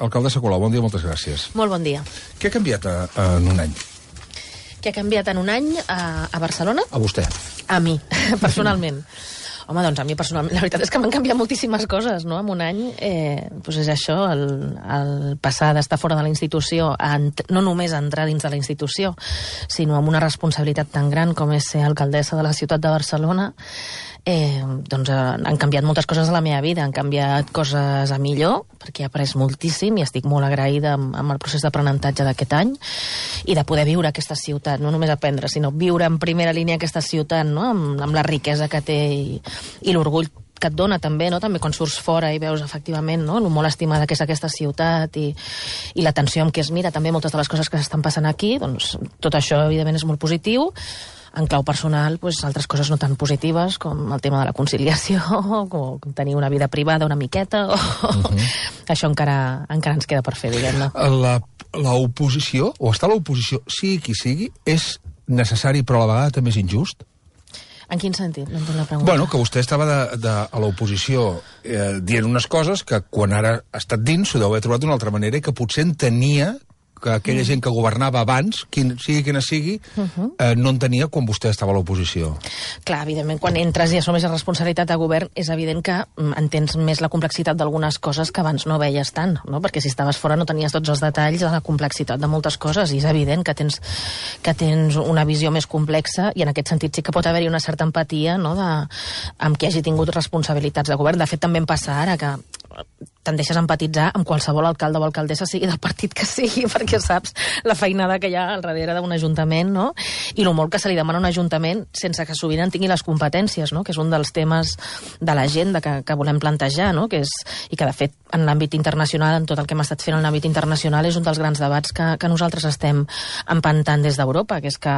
Alcaldessa Colau, bon dia, moltes gràcies. Molt bon dia. Què ha canviat en un any? Què ha canviat en un any a Barcelona? A vostè. A mi, personalment. Home, doncs a mi personalment, la veritat és que m'han canviat moltíssimes coses, no? En un any, doncs és això, el passar d'estar fora de la institució, no només a entrar dins de la institució, sinó amb una responsabilitat tan gran com és ser alcaldessa de la ciutat de Barcelona, doncs han canviat moltes coses a la meva vida, han canviat coses a millor, perquè he après moltíssim i estic molt agraïda amb el procés d'aprenentatge d'aquest any, i de poder viure aquesta ciutat, no només aprendre, sinó viure en primera línia aquesta ciutat, no? Amb la riquesa que té i l'orgull que et dona també, no? També quan surts fora i veus efectivament, no? El molt estimada que és aquesta ciutat i l'atenció amb què es mira també moltes de les coses que s'estan passant aquí, doncs tot això evidentment és molt positiu. En clau personal, doncs, altres coses no tan positives, com el tema de la conciliació, com tenir una vida privada una miqueta, això encara ens queda per fer, diguem-ne. L'oposició, o estar a l'oposició, sigui qui sigui, és necessari però a la vegada també és injust? En quin sentit? No entenc la pregunta. Bueno, que vostè estava a l'oposició dient unes coses que quan ara ha estat dins s'ho deu haver trobat d'una altra manera i que potser entenia que aquella gent que governava abans, sigui quina sigui, no entenia quan vostè estava a l'oposició. Clar, evidentment, quan entres i assumes la responsabilitat de govern, és evident que entens més la complexitat d'algunes coses que abans no veies tant, no? Perquè si estaves fora no tenies tots els detalls de la complexitat de moltes coses, i és evident que tens una visió més complexa, i en aquest sentit sí que pot haver-hi una certa empatia, no?, amb qui hagi tingut responsabilitats de govern. De fet, també em passa ara que tendeixes a empatitzar amb qualsevol alcalde o alcaldessa, sigui del partit que sigui, perquè saps la feinada que hi ha al darrere d'un ajuntament, no? I el molt que se li demana a un ajuntament sense que sovint en tingui les competències, no? Que és un dels temes de l'agenda que volem plantejar, no? I que, de fet, en l'àmbit internacional, en tot el que hem estat fent en l'àmbit internacional, és un dels grans debats que nosaltres estem empantant des d'Europa, que és que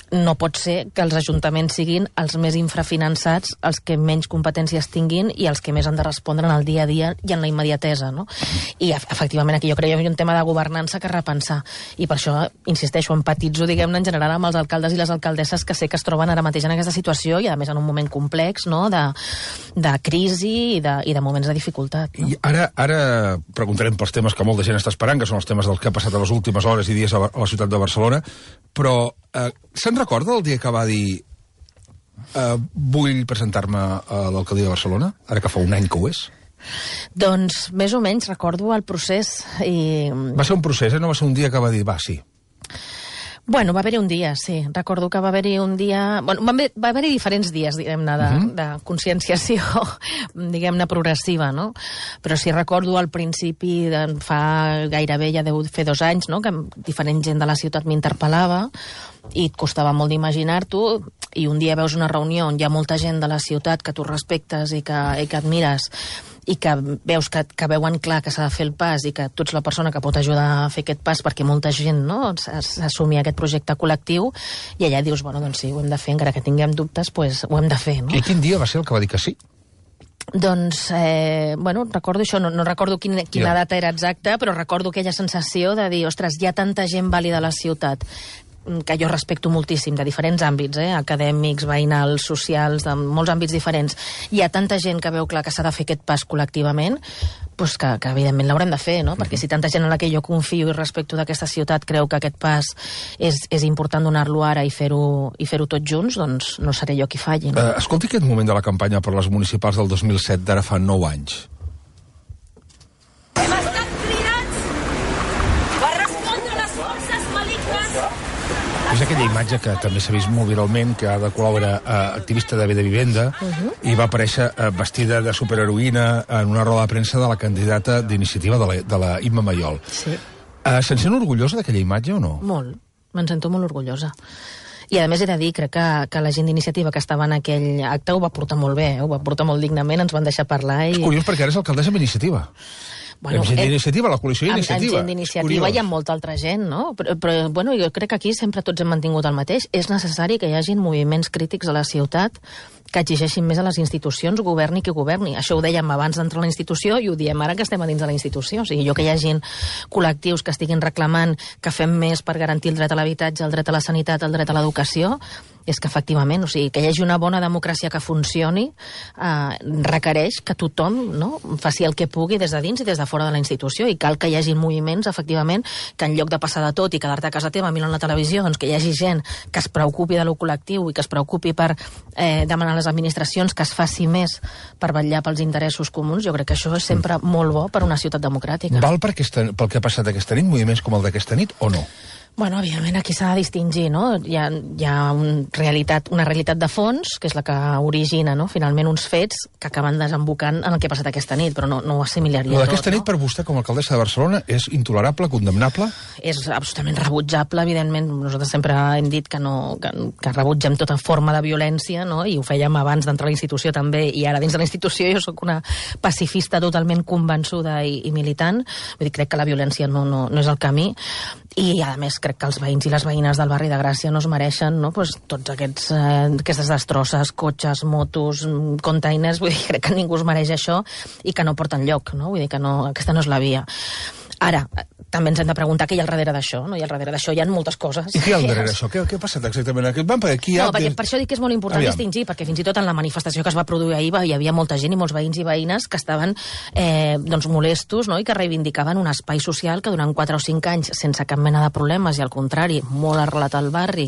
no pot ser que els ajuntaments siguin els més infrafinançats, els que menys competències tinguin i els que més han de respondre en el dia a dia i en la immediatesa, no? I efectivament aquí jo crec que hi ha un tema de governança que repensar, i per això insisteixo, empatitzo, diguem-ne, en general amb els alcaldes i les alcaldesses que sé que es troben ara mateix en aquesta situació i a més en un moment complex, no?, de crisi i de moments de dificultat, no? I ara preguntarem pels temes que molta gent està esperant, que són els temes dels que ha passat a les últimes hores i dies a la ciutat de Barcelona, però se'n recorda el dia que va dir vull presentar-me a l'alcaldia de Barcelona, ara que fa un any que ho és? Doncs més o menys recordo el procés i... Va ser un procés, no va ser un dia que va dir va, sí. Bueno, va haver-hi un dia, sí. Recordo que va haver-hi un dia... Bueno, va haver-hi diferents dies, diguem-ne, de conscienciació, diguem-ne, progressiva, no? Però sí recordo al principi, fa gairebé, ja deu fer 2 anys, no?, que diferent gent de la ciutat m'interpel·lava i et costava molt d'imaginar-t'ho, i un dia veus una reunió on hi ha molta gent de la ciutat que tu respectes i que admires i que veus que veuen clar que s'ha de fer el pas i que tu ets la persona que pot ajudar a fer aquest pas perquè molta gent, no?, s'assumi aquest projecte col·lectiu, i allà dius, bueno, doncs sí, ho hem de fer, encara que tinguem dubtes, doncs ho hem de fer, no? I quin dia va ser el que va dir que sí? Doncs, bueno, recordo això, no recordo quina data era exacta, però recordo aquella sensació de dir, ostres, hi ha tanta gent vàlida a la ciutat que jo respecto moltíssim, de diferents àmbits, acadèmics, veïnals, socials, de molts àmbits diferents. Hi ha tanta gent que veu clar que s'ha de fer aquest pas col·lectivament, doncs que evidentment l'haurem de fer, no? Perquè si tanta gent en la que jo confio i respecto d'aquesta ciutat creu que aquest pas és important donar-lo ara i fer-ho tots junts, doncs no seré jo qui falli, no? Escolti aquest moment de la campanya per les municipals del 2007 d'ara fa 9 anys. Hem estat cridats per respondre a les forces malignes. És aquella imatge que també s'ha vist molt viralment, que Ada Colau era activista de Bé de Vivenda i va aparèixer vestida de superheroïna en una roda de premsa de la candidata d'iniciativa de la Imma Mayol. Sí. Se'n sent orgullosa d'aquella imatge o no? Molt. Me'n sento molt orgullosa. I a més he de dir, crec que la gent d'iniciativa que estava en aquell acte ho va portar molt bé, ho va portar molt dignament, ens van deixar parlar i... És curiós perquè ara és alcaldessa amb Iniciativa. Bueno, amb gent d'iniciativa, la coalició d'iniciativa. Amb gent d'iniciativa i amb molta altra gent, no? Però bueno, jo crec que aquí sempre tots hem mantingut el mateix. És necessari que hi hagin moviments crítics a la ciutat que exigeixin més a les institucions, governi qui governi. Això ho dèiem abans d'entrar a la institució i ho diem ara que estem a dins de la institució. O sigui, que hi hagin col·lectius que estiguin reclamant que fem més per garantir el dret a l'habitatge, el dret a la sanitat, el dret a l'educació, és que efectivament, o sigui, que hi hagi una bona democràcia que funcioni requereix que tothom, no, faci el que pugui des de dins i des de fora de la institució, i cal que hi hagi moviments, efectivament, que en lloc de passar de tot i quedar-te a casa teva mirant la televisió, doncs que hi hagi gent que es preocupi de lo col·lectiu i que es preocupi per demanar a les administracions que es faci més per vetllar pels interessos comuns. Jo crec que això és sempre molt bo per una ciutat democràtica. Val pel que ha passat aquesta nit, moviments com el d'aquesta nit, o no? Bueno, evidentment, aquí s'ha de distingir, no? Hi ha una realitat de fons, que és la que origina, no?, finalment uns fets que acaben desembocant en el que ha passat aquesta nit, però no ho assimilaria tot. Aquesta nit, per vostè, com a alcaldessa de Barcelona, és intolerable, condemnable? És absolutament rebutjable, evidentment. Nosaltres sempre hem dit que rebutgem tota forma de violència, no?, i ho fèiem abans d'entrar a la institució també, i ara dins de la institució jo sóc una pacifista totalment convençuda i militant. Vull dir, crec que la violència no és el camí, i a més crec que els veïns i les veïnes del barri de Gràcia no es mereixen, no?, pues, tots aquestes destrosses, cotxes, motos, containers. Vull dir, crec que ningú es mereix això i que no porta enlloc, no? Vull dir que aquesta no és la via. Ara, també ens hem de preguntar què hi ha al darrere d'això, no? I al darrere d'això hi ha moltes coses. I què hi ha al darrere d'això? Què ha passat exactament? Perquè per això dic que és molt important distingir, perquè fins i tot en la manifestació que es va produir ahir hi havia molta gent i molts veïns i veïnes que estaven molestos, no?, i que reivindicaven un espai social que durant 4 o 5 anys, sense cap mena de problemes, i al contrari, molt arrelat al barri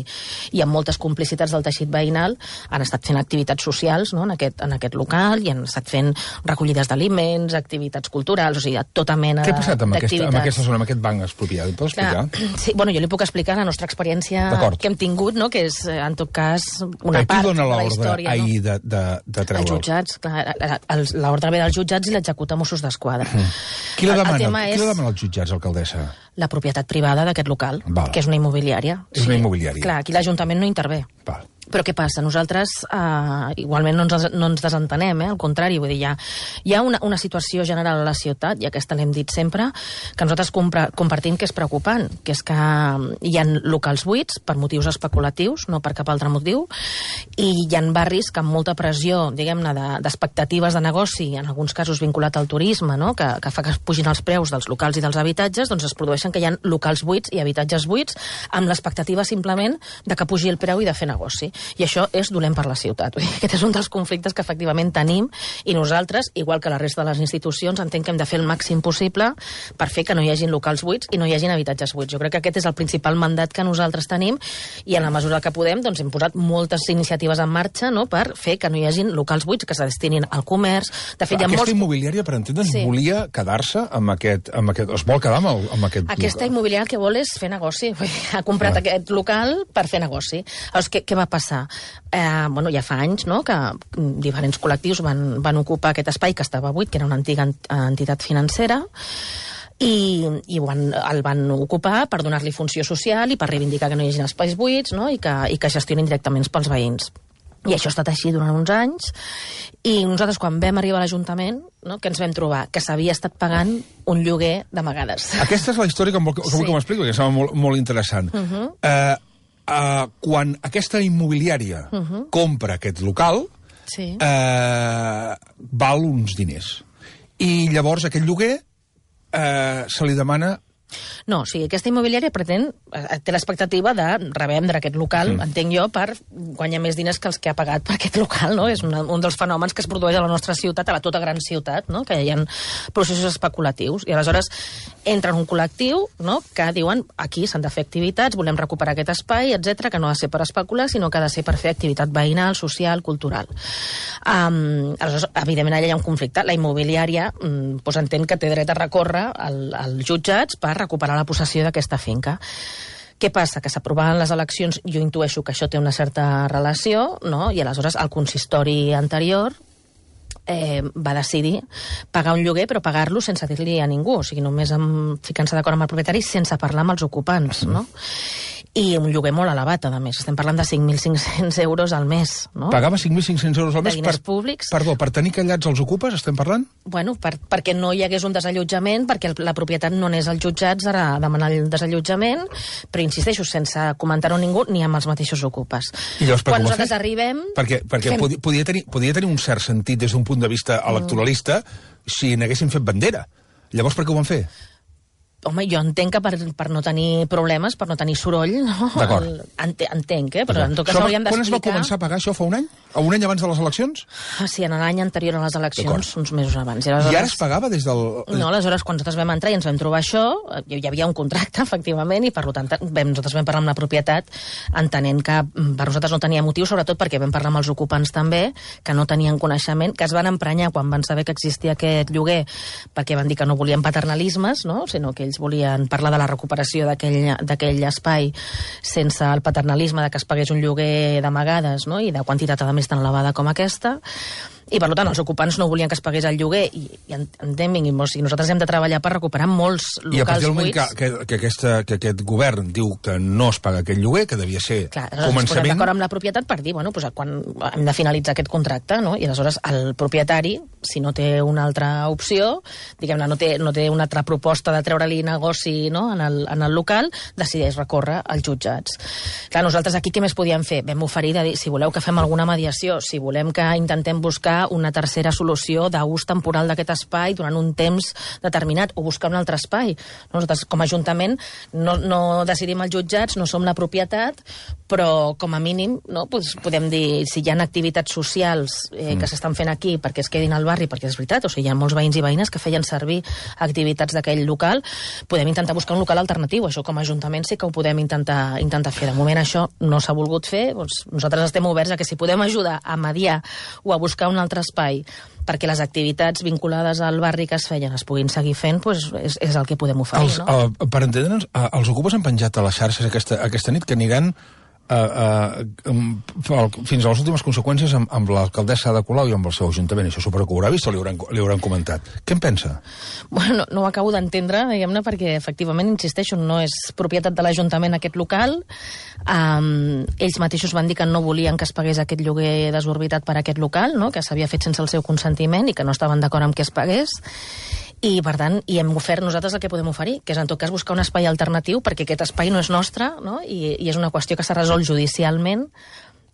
i amb moltes complicitats del teixit veïnal, han estat fent activitats socials, no?, en aquest local, i han estat fent recollides d'aliments, activitats culturals, o sigui, tota mena d'activitats. Què ha passat amb aquesta zona, amb aquest banc expropiat? Em pot explicar? Sí, bueno, jo li puc explicar la nostra experiència que hem tingut, no?, que és, en tot cas, una part de la història. Qui dona l'ordre ahir de treure'l? Els jutjats, clar, l'ordre ve dels jutjats i l'executa Mossos d'Esquadra. Qui la demana als jutjats, alcaldessa? La propietat privada d'aquest local, que és una immobiliària. És una immobiliària. Clar, aquí l'Ajuntament no intervé. Val. Però què passa? Nosaltres igualment no ens desentenem, al contrari, vull dir, hi ha una situació general a la ciutat, i aquesta l'hem dit sempre, que nosaltres compartim que és preocupant, que és que hi ha locals buits per motius especulatius, no per cap altre motiu, i hi ha barris que amb molta pressió, diguem-ne, d'expectatives de negoci, en alguns casos vinculat al turisme, no?, que fa que pugin els preus dels locals i dels habitatges, doncs es produeixen que hi ha locals buits i habitatges buits amb l'expectativa simplement de que pugi el preu i de fer negoci. I això és dolent per la ciutat. Aquest és un dels conflictes que efectivament tenim, i nosaltres, igual que la resta de les institucions, entenc que hem de fer el màxim possible per fer que no hi hagin locals buits i no hi hagin habitatges buits. Jo crec que aquest és el principal mandat que nosaltres tenim, i en la mesura que podem doncs hem posat moltes iniciatives en marxa, no?, per fer que no hi hagin locals buits que se destinin al comerç. De fet, aquesta immobiliària, per entendre'ns, volia quedar-se amb aquest... Es vol quedar amb aquest local? Aquesta immobiliària el que vol és fer negoci. Ha comprat aquest local per fer negoci. Llavors, què va passar? Ja fa anys, no?, que diferents col·lectius van ocupar aquest espai que estava buit, que era una antiga entitat financera, i el van ocupar per donar-li funció social i per reivindicar que no hi hagi espais buits, no?, i que gestionin directament pels veïns. I això ha estat així durant uns anys, i nosaltres quan vam arribar a l'Ajuntament, no?, que ens vam trobar que s'havia estat pagant un lloguer d'amagades. Aquesta és la història que vull que m'expliqui, perquè sembla molt interessant. Quan aquesta immobiliària compra aquest local, val uns diners. I llavors aquest lloguer se li demana... No, o sigui, aquesta immobiliària té l'expectativa de revendre aquest local, entenc jo, per guanyar més diners que els que ha pagat per aquest local, no? És un dels fenòmens que es produeix a la nostra ciutat, a la tota gran ciutat, no?, que hi ha processos especulatius. I aleshores entra en un col·lectiu, no?, que diuen aquí s'han de fer activitats, volem recuperar aquest espai, etc, que no ha de ser per especular, sinó que ha de ser per fer activitat veïnal, social, cultural. Aleshores, evidentment, allà hi ha un conflicte. La immobiliària entén que té dret a recórrer als jutjats per recuperar la possessió d'aquesta finca. Què passa? Que s'aprovaven les eleccions, jo intueixo que això té una certa relació, no?, i aleshores el consistori anterior va decidir pagar un lloguer, però pagar-lo sense dir-li a ningú, o sigui, només ficant-se d'acord amb el propietari sense parlar amb els ocupants, no? I un lloguer molt elevat, a més. Estem parlant de 5.500 euros al mes, no? Pagava 5.500 euros al mes públics. Perdó, per tenir callats els ocupes, estem parlant? Bueno, perquè no hi hagués un desallotjament, perquè la propietat no anés als jutjats a demanar el desallotjament, però insisteixo, sense comentar-ho a ningú ni amb els mateixos ocupes. Quan nosaltres arribem... Perquè podia tenir un cert sentit des d'un punt de vista electoralista si n'haguessin fet bandera. Llavors, per què ho van fer? Home, jo entenc que per no tenir problemes, per no tenir soroll, no? D'acord. Entenc, però en tot cas hauríem d'explicar... Quan es va començar a pagar això, fa un any? O un any abans de les eleccions? Sí, en l'any anterior a les eleccions, uns mesos abans. I ara es pagava des del... No, aleshores, quan nosaltres vam entrar i ens vam trobar això, hi havia un contracte, efectivament, i per tant nosaltres vam parlar amb la propietat, entenent que per nosaltres no tenia motiu, sobretot perquè vam parlar amb els ocupants també, que no tenien coneixement, que es van emprenyar quan van saber que existia aquest lloguer, perquè van dir que no volien paternalismes, no? Sinó que ells volien parlar de la recuperació d'aquell espai sense el paternalisme de que es pagués un lloguer d'amagades, no? I de quantitat a més tan elevada com aquesta. I, per tant, els ocupants no volien que es pagués el lloguer i entenguin-nos, i nosaltres hem de treballar per recuperar molts locals buits. I a partir del moment que aquest govern diu que no es paga aquest lloguer, que devia ser començament... Ens posem d'acord amb la propietat per dir, bueno, quan hem de finalitzar aquest contracte, no? I aleshores el propietari, si no té una altra opció, diguem-ne, no té una altra proposta de treure-li negoci, no? en el local, decideix recórrer als jutjats. Clar, nosaltres aquí què més podíem fer? Vam oferir de dir, si voleu que fem alguna mediació, si volem que intentem buscar una tercera solució d'ús temporal d'aquest espai durant un temps determinat, o buscar un altre espai. Nosaltres, com a Ajuntament, no decidim els jutjats, no som la propietat, però, com a mínim, no, podem dir, si hi ha activitats socials que s'estan fent aquí perquè es quedin al barri, perquè és veritat, o sigui, hi ha molts veïns i veïnes que feien servir activitats d'aquell local, podem intentar buscar un local alternatiu. Això, com a Ajuntament, sí que ho podem intentar fer. De moment, això no s'ha volgut fer. Doncs nosaltres estem oberts a que si podem ajudar a mediar o a buscar un altre espai perquè les activitats vinculades al barri que es feien es puguin seguir fent, doncs és el que podem oferir. Per entendre'ns, els ocupes han penjat a les xarxes aquesta nit que aniran fins a les últimes conseqüències amb l'alcaldessa Ada Colau i amb el seu ajuntament. Això suposo que ho haurà vist o li hauran comentat. Què en pensa? Bueno, no ho acabo d'entendre, diguem-ne, perquè efectivament, insisteixo, no és propietat de l'Ajuntament aquest local. Ells mateixos van dir que no volien que es pagués aquest lloguer desorbitat per aquest local, no? Que s'havia fet sense el seu consentiment i que no estaven d'acord amb que es pagués. I, per tant, hem ofert nosaltres el que podem oferir, que és, en tot cas, buscar un espai alternatiu, perquè aquest espai no és nostre, no? I és una qüestió que s'ha resolt judicialment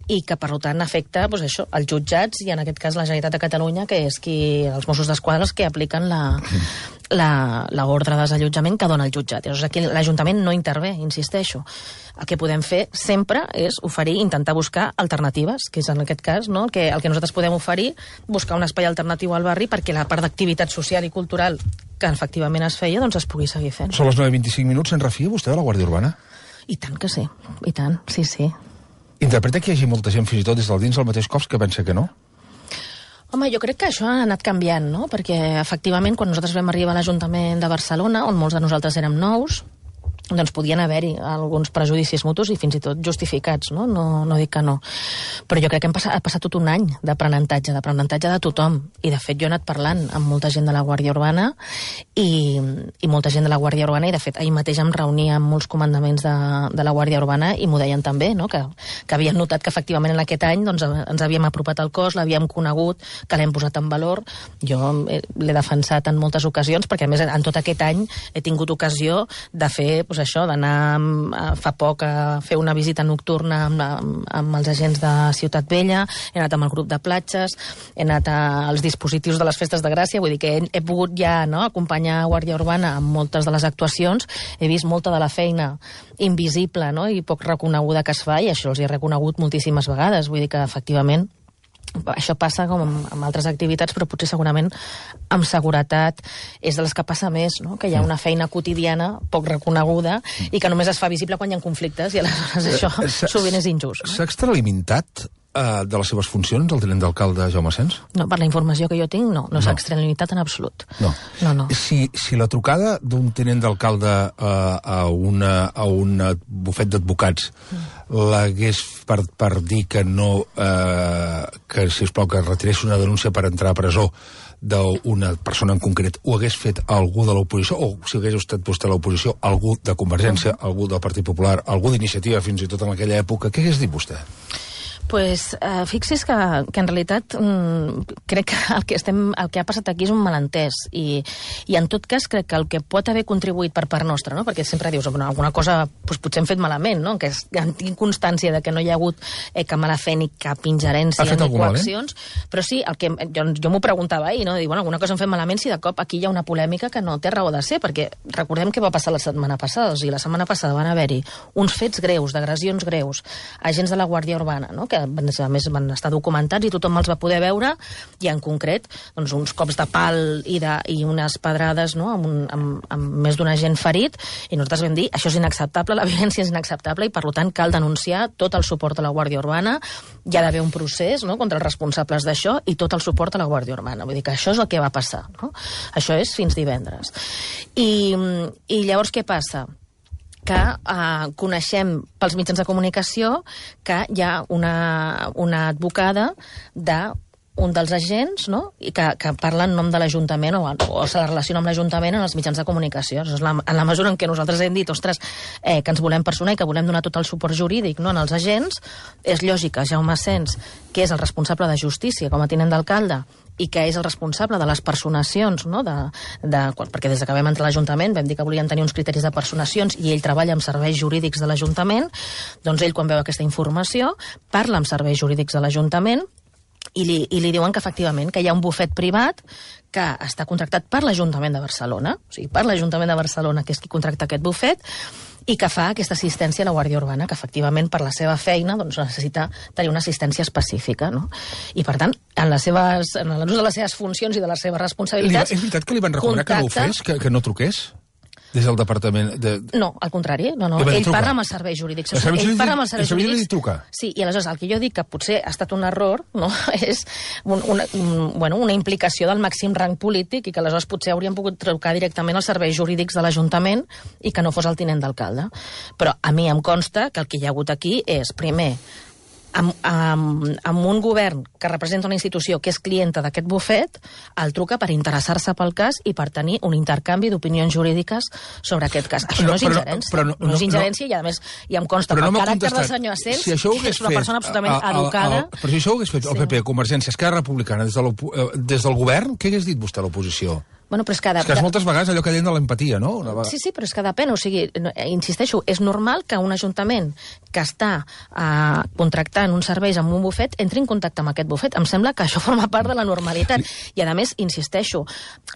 i que, per tant, afecta, doncs, això, els jutjats i, en aquest cas, la Generalitat de Catalunya, que és els Mossos d'Esquadra els que apliquen l'ordre de desallotjament que dona el jutjat. Llavors, aquí l'Ajuntament no intervé, insisteixo. El que podem fer sempre és oferir, intentar buscar alternatives, que és en aquest cas, no? el que nosaltres podem oferir, buscar un espai alternatiu al barri perquè la part d'activitat social i cultural que efectivament es feia, doncs es pugui seguir fent. Són les 9:25, se'n refia vostè de la Guàrdia Urbana? I tant que sí, i tant, sí. Interpreta que hi hagi molta gent, fins i tot des del dins del mateix cops, que pensa que no? Home, jo crec que això ha anat canviant, no? Perquè, efectivament, quan nosaltres vam arribar a l'Ajuntament de Barcelona, on molts de nosaltres érem nous, doncs podien haver-hi alguns prejudicis mutus i fins i tot justificats, no? No dic que no. Però jo crec que ha passat tot un any d'aprenentatge de tothom. I, de fet, jo he anat parlant amb molta gent de la Guàrdia Urbana i molta gent de la Guàrdia Urbana, i, de fet, ahir mateix em reunia amb molts comandaments de la Guàrdia Urbana i m'ho deien també, no? Que havien notat que, efectivament, en aquest any doncs, ens havíem apropat al cos, l'havíem conegut, que l'hem posat en valor. Jo l'he defensat en moltes ocasions, perquè, a més, en tot aquest any he tingut ocasió de fer això, d'anar fa poc a fer una visita nocturna amb els agents de Ciutat Vella, he anat amb el grup de platges, he anat als dispositius de les festes de Gràcia, vull dir que he pogut ja, no, acompanyar Guàrdia Urbana amb moltes de les actuacions, he vist molta de la feina invisible, no, i poc reconeguda que es fa, i això els he reconegut moltíssimes vegades, vull dir que efectivament això passa com amb altres activitats, però potser segurament amb seguretat és de les que passa més, no? Que hi ha una feina quotidiana poc reconeguda i que només es fa visible quan hi ha conflictes, i aleshores això sovint és injust. No? S'ha extralimitat de les seves funcions el tinent d'alcalde Jaume Sens? No, per la informació que jo tinc, no s'ha extralimitat en absolut. No. Si la trucada d'un tinent d'alcalde a un bufet d'advocats l'hagués per dir que no, que, sisplau, que retirés una denúncia per entrar a presó d'una persona en concret, ho hagués fet algú de l'oposició, o si hagués estat vostè a l'oposició, algú de Convergència, algú del Partit Popular, algú d'Iniciativa, fins i tot en aquella època, què hagués dit vostè? Pues fixi's que en realitat crec que el que ha passat aquí és un malentès i en tot cas crec que el que pot haver contribuït per part nostra, no? Perquè sempre dius alguna cosa doncs, potser hem fet malament, no? Que tinc constància de que no hi ha hagut cap mala fe ni cap ingerència ni coaccions, però sí, el que jo m'ho preguntava ahir, no? Dir, alguna cosa hem fet malament si de cop aquí hi ha una polèmica que no té raó de ser, perquè recordem què va passar la setmana passada, o sigui, la setmana passada van haver-hi uns fets greus, d'agressions greus, agents de la Guàrdia Urbana, no? Que a més van estar documentats i tothom els va poder veure, i en concret doncs, uns cops de pal i unes pedrades, no? amb més d'un agent ferit, i nosaltres vam dir, això és inacceptable, la violència és inacceptable i per tant cal denunciar tot el suport a la Guàrdia Urbana, hi ha d'haver un procés, no? Contra els responsables d'això i tot el suport a la Guàrdia Urbana, vull dir que això és el que va passar, no? Això és fins divendres. I llavors què passa? Que coneixem pels mitjans de comunicació que hi ha una advocada d'un dels agents, no? I que parla en nom de l'Ajuntament o se la relaciona amb l'Ajuntament en els mitjans de comunicació. En la mesura en què nosaltres hem dit, ostres, que ens volem personar i que volem donar tot el suport jurídic, no, en els agents, és lògic que Jaume Asens, que és el responsable de justícia com a tinent d'alcalde, i que és el responsable de les personacions, no? Perquè des que vam entrar a l'Ajuntament vam dir que volien tenir uns criteris de personacions i ell treballa amb serveis jurídics de l'Ajuntament, doncs ell quan veu aquesta informació parla amb serveis jurídics de l'Ajuntament i li diuen que efectivament que hi ha un bufet privat que està contractat per l'Ajuntament de Barcelona, o sigui, per l'Ajuntament de Barcelona, que és qui contracta aquest bufet, i que fa aquesta assistència a la Guàrdia Urbana, que efectivament per la seva feina doncs, necessita tenir una assistència específica, no? I per tant, en l'ús de les seves funcions i de les seves responsabilitats... És veritat que li van recomanar que no ho fes, que no truqués? Des del departament de... No, al contrari. No. Ell parla amb els serveis jurídics. Ell parla amb els serveis jurídics. I truca. Sí, i aleshores el que jo dic que potser ha estat un error, no? És una implicació del màxim rang polític i que aleshores potser haurien pogut trucar directament als serveis jurídics de l'Ajuntament i que no fos el tinent d'alcalde. Però a mi em consta que el que hi ha hagut aquí és, primer, amb un govern que representa una institució que és clienta d'aquest bufet, el truca per interessar-se pel cas i per tenir un intercanvi d'opinions jurídiques sobre aquest cas. Això no és ingerència. No és ingerència i, a més, ja em consta que el caràcter del senyor Asens és una persona absolutament educada. Però si això ho hagués fet el PP, Convergència, Esquerra Republicana, des del govern, què hagués dit vostè a l'oposició? Bueno, però és que moltes vegades allò que deien de l'empatia, no? Sí, però és que depèn. O sigui, insisteixo, és normal que un ajuntament que està contractant uns serveis amb un bufet entri en contacte amb aquest bufet. Em sembla que això forma part de la normalitat. I, a més, insisteixo,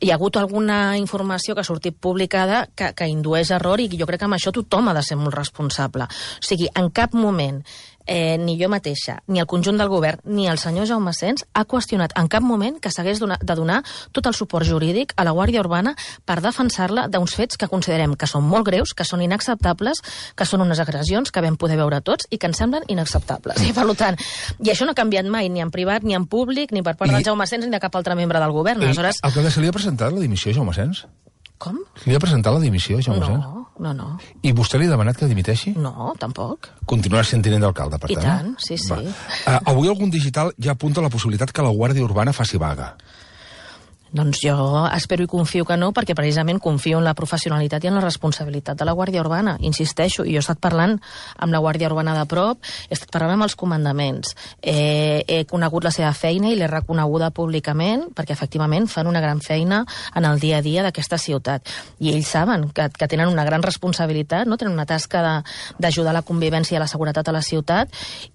hi ha hagut alguna informació que ha sortit publicada que indueix error i jo crec que amb això tothom ha de ser molt responsable. O sigui, en cap moment ni jo mateixa, ni el conjunt del govern, ni el senyor Jaume Asens ha qüestionat en cap moment que s'hagués de donar tot el suport jurídic a la Guàrdia Urbana per defensar-la d'uns fets que considerem que són molt greus, que són inacceptables, que són unes agressions que vam poder veure tots i que ens semblen inacceptables. I per tant, i això no ha canviat mai, ni en privat, ni en públic, ni per part del Jaume Asens, ni de cap altre membre del govern. Aleshores... Alcalde, se li ha presentat la dimissió a Jaume Asens? Com? Li ha presentat la dimissió a Jaume Asens? No. I vostè li ha demanat que dimiteixi? No, tampoc. Continuarà sent tinent d'alcalde, per tant. I tant, sí. Avui algun digital ja apunta la possibilitat que la Guàrdia Urbana faci vaga. Doncs jo espero i confio que no, perquè precisament confio en la professionalitat i en la responsabilitat de la Guàrdia Urbana. Insisteixo, jo he estat parlant amb la Guàrdia Urbana de prop, he estat parlant amb els comandaments, he conegut la seva feina i l'he reconeguda públicament, perquè efectivament fan una gran feina en el dia a dia d'aquesta ciutat. I ells saben que tenen una gran responsabilitat, no? Tenen una tasca d'ajudar a la convivència i a la seguretat a la ciutat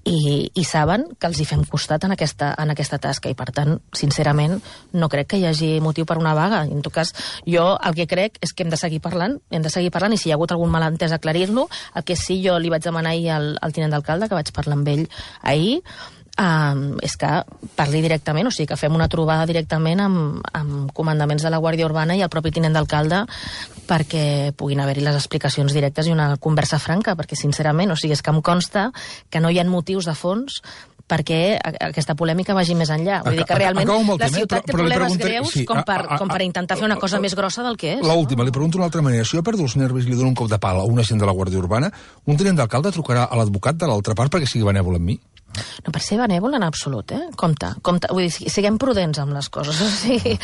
i saben que els hi fem costat en aquesta tasca. I per tant, sincerament, no crec que hi hagi motiu per una vaga. En tot cas, jo el que crec és que hem de seguir parlant i si hi ha hagut algun malentès aclarir-lo. El que sí jo li vaig demanar ahir al tinent d'alcalde, que vaig parlar amb ell ahir, és que parli directament, o sigui, que fem una trobada directament amb comandaments de la Guàrdia Urbana i el propi tinent d'alcalde perquè puguin haver-hi les explicacions directes i una conversa franca, perquè sincerament, o sigui, és que em consta que no hi ha motius de fons perquè aquesta polèmica vagi més enllà. Vull dir que realment la ciutat té problemes greus com per intentar fer una cosa més grossa del que és. L'última, li pregunto d'una altra manera. Si jo perdo els nervis i li dono un cop de pala a un agent de la Guàrdia Urbana, un tinent d'alcalde trucarà a l'advocat de l'altra part perquè sigui benèvol amb mi? No, per ser benèvol en absolut, Compte. Vull dir, siguem prudents amb les coses. O sigui,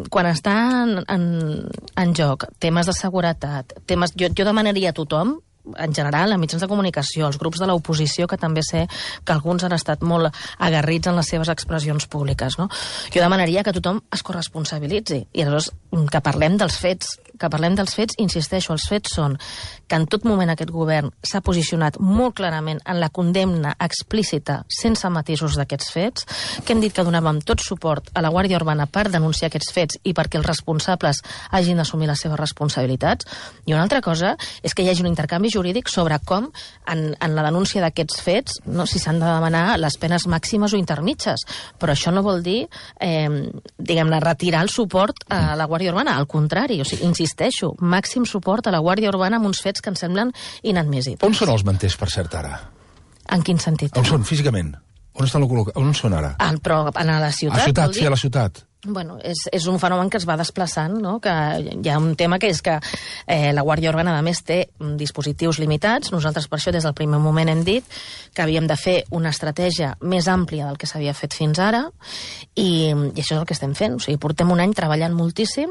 quan estan en joc temes de seguretat, jo demanaria a tothom en general, a mitjans de comunicació, als grups de l'oposició, que també sé que alguns han estat molt agarrits en les seves expressions públiques, no? Jo demanaria que tothom es corresponsabilitzi i aleshores que parlem dels fets, insisteixo, els fets són que en tot moment aquest govern s'ha posicionat molt clarament en la condemna explícita, sense matisos d'aquests fets, que hem dit que donàvem tot suport a la Guàrdia Urbana per denunciar aquests fets i perquè els responsables hagin d'assumir les seves responsabilitats. I una altra cosa és que hi hagi un intercanvi jurídic sobre com, en la denúncia d'aquests fets, no, si s'han de demanar les penes màximes o intermitges. Però això no vol dir, diguem-ne, retirar el suport a la Guàrdia Urbana. Al contrari, o sigui, insisteixo, màxim suport a la Guàrdia Urbana amb uns fets que ens semblen inadmissibles. On són els manters, per cert, ara? En quin sentit? On són, físicament? On són ara? Però a la ciutat, a ciutat, sí, a la ciutat. Bueno, és un fenomen que es va desplaçant, no? Que hi ha un tema que és que la Guàrdia Urbana, a més, té dispositius limitats. Nosaltres, per això, des del primer moment hem dit que havíem de fer una estratègia més àmplia del que s'havia fet fins ara i això és el que estem fent. O sigui, portem un any treballant moltíssim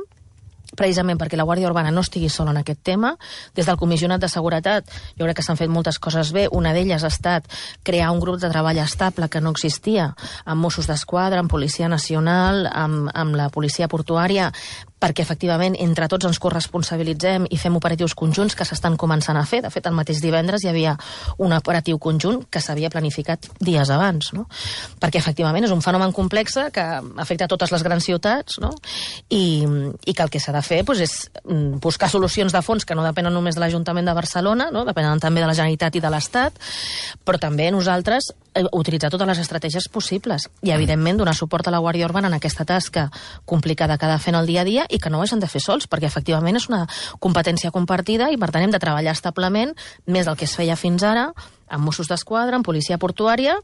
precisament perquè la Guàrdia Urbana no estigui sola en aquest tema. Des del Comissionat de Seguretat jo crec que s'han fet moltes coses bé. Una d'elles ha estat crear un grup de treball estable que no existia amb Mossos d'Esquadra, amb Policia Nacional, amb la Policia Portuària, perquè efectivament entre tots ens corresponsabilitzem i fem operatius conjunts que s'estan començant a fer. De fet, el mateix divendres hi havia un operatiu conjunt que s'havia planificat dies abans, no? Perquè efectivament és un fenomen complex que afecta a totes les grans ciutats, no? I que el que s'ha de fer doncs, és buscar solucions de fons que no depenen només de l'Ajuntament de Barcelona, no? Depenen també de la Generalitat i de l'Estat, però també nosaltres utilitzar totes les estratègies possibles i, evidentment, donar suport a la Guàrdia Urbana en aquesta tasca complicada que ha de fer en el dia a dia i que no ho hagin de fer sols, perquè, efectivament, és una competència compartida i, per tant, hem de treballar establement més del que es feia fins ara, amb Mossos d'Esquadra, amb Policia Portuària,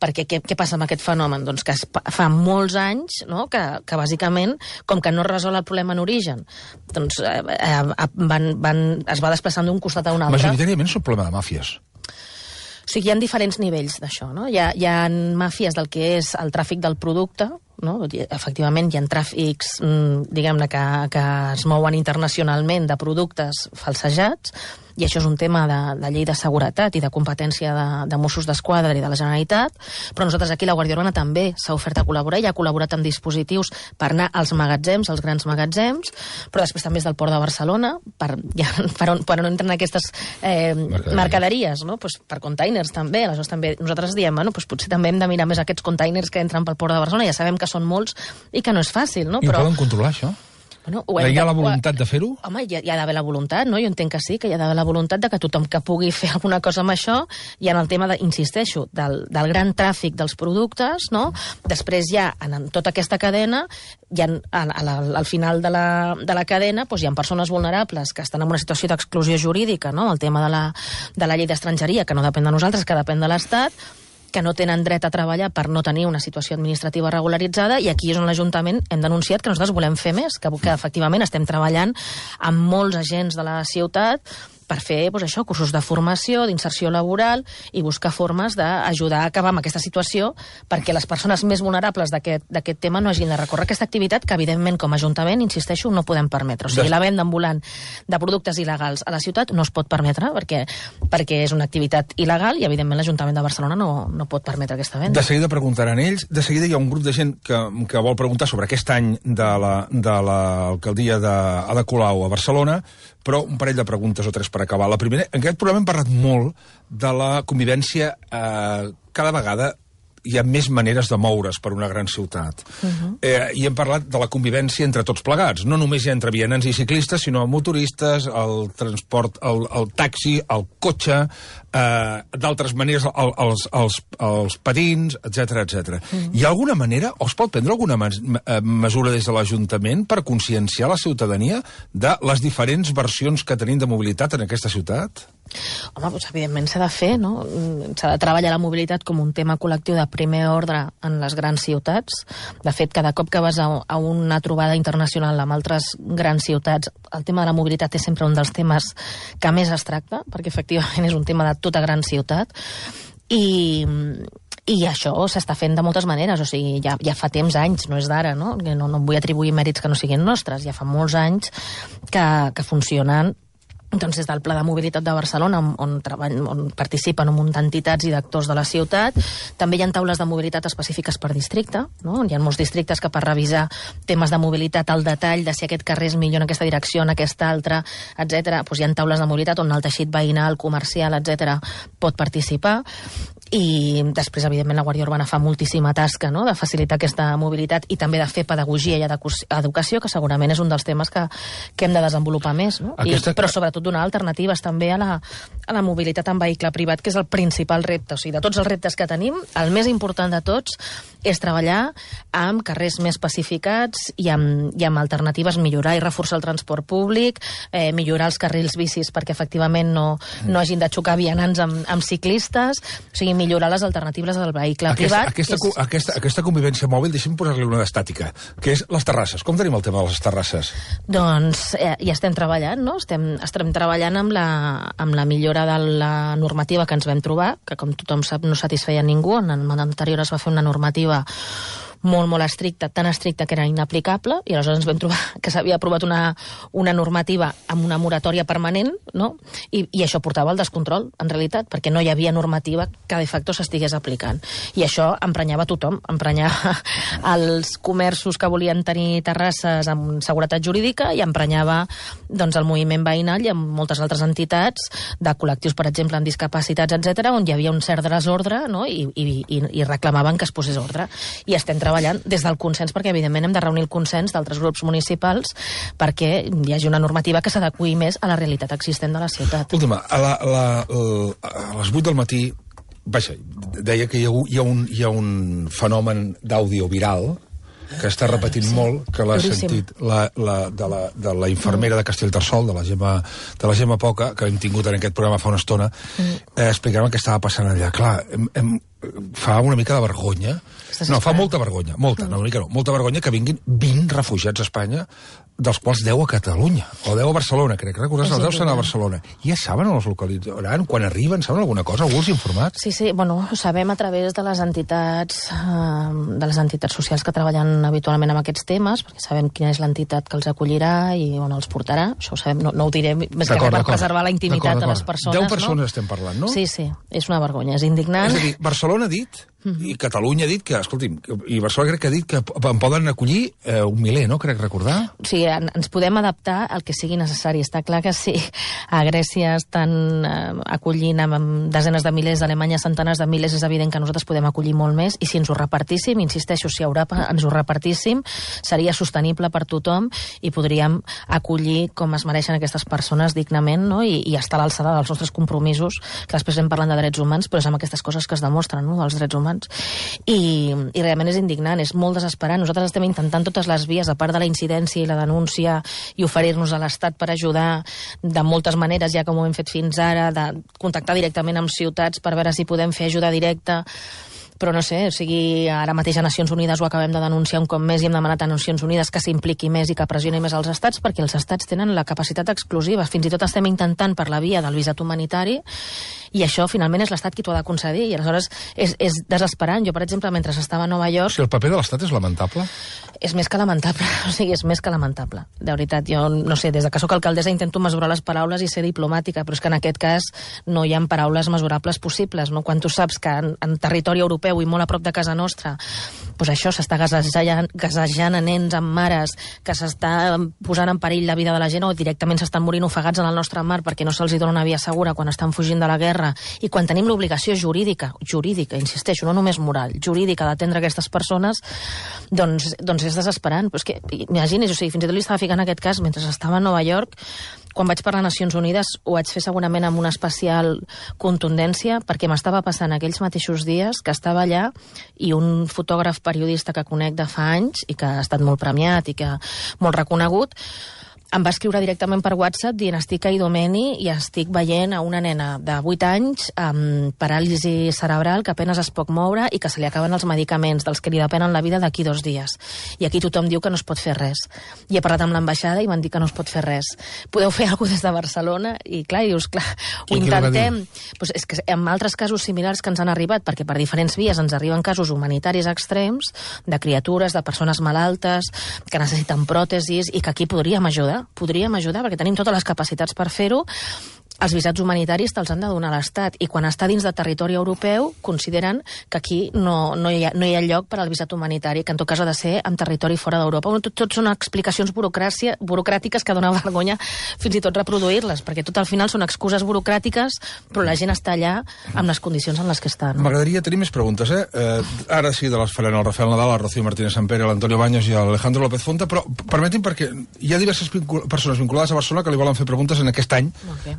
perquè què passa amb aquest fenomen? Doncs que fa molts anys, no?, que bàsicament, com que no es resol el problema en origen, doncs es va desplaçant d'un costat a un altre. Majoritàriament és un problema de màfies. O sigui, hi ha diferents nivells d'això, no? Hi ha màfies del que és el tràfic del producte, no? Efectivament, hi ha tràfics, diguem-ne, que es mouen internacionalment de productes falsejats, i això és un tema de llei de seguretat i de competència de Mossos d'Esquadra i de la Generalitat, però nosaltres aquí la Guàrdia Urbana també s'ha ofert a col·laborar i ha col·laborat amb dispositius per anar als magatzems, als grans magatzems, però després també és del Port de Barcelona, per on entren aquestes mercaderies, no? Pues per containers també, aleshores també nosaltres diem, bueno, pues potser també hem de mirar més aquests containers que entren pel Port de Barcelona, ja sabem que són molts i que no és fàcil, no? I ho poden controlar, això? Bueno, hi ha la voluntat de fer-ho? Home, hi ha d'haver la voluntat, no? Jo entenc que sí, que hi ha d'haver la voluntat de que tothom que pugui fer alguna cosa amb això, i en el tema, insisteixo, del gran tràfic dels productes, no? Després ja, en tota aquesta cadena, al final de la cadena, doncs hi ha persones vulnerables que estan en una situació d'exclusió jurídica, no? El tema de la llei d'estrangeria, que no depèn de nosaltres, que depèn de l'Estat, que no tenen dret a treballar per no tenir una situació administrativa regularitzada, i aquí és on l'Ajuntament hem denunciat que nosaltres volem fer més, que efectivament estem treballant amb molts agents de la ciutat per fer, doncs això, cursos de formació, d'inserció laboral i buscar formes d'ajudar a acabar amb aquesta situació perquè les persones més vulnerables d'aquest tema no hagin de recórrer aquesta activitat que, evidentment, com a Ajuntament, insisteixo, no podem permetre. O sigui, la venda ambulant de productes il·legals a la ciutat no es pot permetre perquè és una activitat il·legal i, evidentment, l'Ajuntament de Barcelona no pot permetre aquesta venda. De seguida preguntaran ells. De seguida hi ha un grup de gent que vol preguntar sobre aquest any de l'alcaldia d'Ada Colau a Barcelona, però un parell de preguntes o tres per acabar. La primera, en aquest programa hem parlat molt de la convivència. Cada vegada hi ha més maneres de moure's per una gran ciutat. I hem parlat de la convivència entre tots plegats. No només entre vianants i ciclistes, sinó motoristes, el transport, el taxi, el cotxe, d'altres maneres, els patins, etc. Hi ha alguna manera, o es pot prendre alguna mesura des de l'Ajuntament per conscienciar la ciutadania de les diferents versions que tenim de mobilitat en aquesta ciutat? Home, doncs evidentment s'ha de fer, no? S'ha de treballar la mobilitat com un tema col·lectiu de primer ordre en les grans ciutats. De fet, cada cop que vas a una trobada internacional amb altres grans ciutats, el tema de la mobilitat és sempre un dels temes que més es tracta, perquè efectivament és un tema de tota gran ciutat. I això s'està fent de moltes maneres, o sigui, ja fa temps, anys, no és d'ara, no? No vull atribuir mèrits que no siguin nostres, ja fa molts anys que funcionen doncs des del Pla de Mobilitat de Barcelona, on participen un munt d'entitats i d'actors de la ciutat. També hi ha taules de mobilitat específiques per districte, no? Hi ha molts districtes que per revisar temes de mobilitat al detall, de si aquest carrer és millor en aquesta direcció, en aquesta altra, etc. Doncs hi ha taules de mobilitat on el teixit veïnal, comercial, etc. pot participar. I després, evidentment, la Guàrdia Urbana fa moltíssima tasca, no?, de facilitar aquesta mobilitat i també de fer pedagogia i educació, que segurament és un dels temes que hem de desenvolupar més, no? Però sobretot donar alternatives també a la mobilitat en vehicle privat, que és el principal repte. O sigui, de tots els reptes que tenim, el més important de tots és treballar amb carrers més pacificats i amb alternatives, millorar i reforçar el transport públic, millorar els carrils bicis perquè efectivament no hagin de xocar vianants amb ciclistes, o sigui, millorar les alternatives del vehicle privat. Aquesta convivència mòbil, deixem posar-li una d'estàtica, que és les terrasses. Com tenim el tema de les terrasses? Doncs ja estem treballant, no? Estem treballant amb la millora de la normativa que ens vam trobar, que com tothom sap no satisfeia ningú. En el mandat anterior es va fer una normativa molt, molt estricta, tan estricta que era inaplicable, i aleshores ens vam trobar que s'havia aprovat una normativa amb una moratòria permanent, no? I això portava al descontrol, en realitat, perquè no hi havia normativa que de facto s'estigués aplicant. I això emprenyava tothom, emprenyava els comerços que volien tenir terrasses amb seguretat jurídica i emprenyava doncs, el moviment veïnal i amb moltes altres entitats de col·lectius, per exemple, amb discapacitats, etc., on hi havia un cert desordre, no? I reclamaven que es posés ordre. I estem treballant des del consens, perquè evidentment hem de reunir el consens d'altres grups municipals perquè hi hagi una normativa que s'adeqüi més a la realitat existent de la ciutat. Última, a les 8 del matí, vaja, deia que hi ha un fenomen d'àudio viral que està repetint molt, que l'ha sentit de la infermera de Castellterçol, de la Gemma Poca, que hem tingut en aquest programa fa una estona, explicant el que estava passant allà. Clar, fa una mica de vergonya. No, fa molta vergonya, molta vergonya que vinguin 20 refugiats a Espanya, dels quals 10 a Catalunya, o 10 a Barcelona, crec. Recordar, els 10 són a Barcelona. Ja saben on els localitzaran? Quan arriben, saben alguna cosa? Algú els ha informat? Sí, bueno, ho sabem a través de les entitats socials que treballen habitualment amb aquests temes, perquè sabem quina és l'entitat que els acollirà i on els portarà. Això ho sabem, no ho diré més que per preservar la intimitat de les persones. 10 persones estem parlant, no? Sí, és una vergonya, és indignant. És a dir, Barcelona ha dit, i Catalunya ha dit que, escolti'm, i Barcelona crec que ha dit que en poden acollir un miler, no? Crec recordar. Sí, ens podem adaptar al que sigui necessari. Està clar que si a Grècia estan acollint amb desenes de milers, a Alemanya centenars de milers, és evident que nosaltres podem acollir molt més, i si ens ho repartíssim, insisteixo, si a Europa ens ho repartíssim, seria sostenible per tothom i podríem acollir com es mereixen aquestes persones dignament, no? I estar a l'alçada dels nostres compromisos, que després hem parlat de drets humans, però és amb aquestes coses que es demostren, no?, dels drets humans. I realment és indignant, és molt desesperant. Nosaltres estem intentant totes les vies, a part de la incidència i la denúncia, i oferir-nos a l'Estat per ajudar de moltes maneres, ja com ho hem fet fins ara, de contactar directament amb ciutats per veure si podem fer ajuda directa. Però no sé, o sigui, ara mateix a Nacions Unides ho acabem de denunciar un cop més i hem demanat a Nacions Unides que s'impliqui més i que pressioni més els estats, perquè els estats tenen la capacitat exclusiva. Fins i tot estem intentant per la via del visat humanitari, i això finalment és l'Estat qui t'ho ha de concedir, i aleshores és desesperant. Jo, per exemple, mentre estava a Nova York... Si el paper de l'Estat és lamentable? És més que lamentable, o sigui, és més que lamentable. De veritat, jo no sé, des que soc alcaldessa intento mesurar les paraules i ser diplomàtica, però és que en aquest cas no hi ha paraules mesurables possibles, no? Quan tu saps que en territori europeu i molt a prop de casa nostra, doncs això s'està gasejant a nens amb mares, que s'està posant en perill la vida de la gent, o directament s'estan morint ofegats en el nostre mar perquè no se'ls dona una via segura quan estan fugint de la guerra, i quan tenim l'obligació jurídica, insisteixo, no només moral, jurídica, d'atendre aquestes persones, doncs és desesperant. Però és que, imagini's, o sigui, fins i tot li estava ficant aquest cas mentre estava a Nova York. Quan vaig per les Nacions Unides ho vaig fer segurament amb una especial contundència, perquè m'estava passant aquells mateixos dies que estava allà i un fotògraf periodista que conec de fa anys i que ha estat molt premiat i que molt reconegut, em va escriure directament per WhatsApp dient: estic a Idomeni i estic veient a una nena de 8 anys amb paràlisi cerebral que apenas es pot moure i que se li acaben els medicaments dels que li depenen la vida d'aquí 2 dies. I aquí tothom diu que no es pot fer res. I he parlat amb l'ambaixada i m'han dit que no es pot fer res. Podeu fer alguna cosa des de Barcelona? I clar, dius, clar, ho intentem. Pues és que en altres casos similars que ens han arribat, perquè per diferents vies ens arriben casos humanitaris extrems, de criatures, de persones malaltes, que necessiten pròtesis i que aquí podríem ajudar. perquè tenim totes les capacitats per fer-ho. Els visats humanitaris te'ls han de donar l'Estat, i quan està dins de territori europeu consideren que aquí no hi ha lloc per al visat humanitari, que en tot cas ha de ser en territori fora d'Europa. Tot són explicacions burocràtiques que dona vergonya fins i tot reproduir-les, perquè tot al final són excuses burocràtiques, però la gent està allà amb les condicions en les que estan. M'agradaria tenir més preguntes, ara sí, de les faran el Rafael Nadal, el Rocío Martínez Sampere, l'Antonio Baños i l'Alejandro López Fonta, però permetin, perquè hi ha diverses persones vinculades a Barcelona que li volen fer preguntes en aquest any,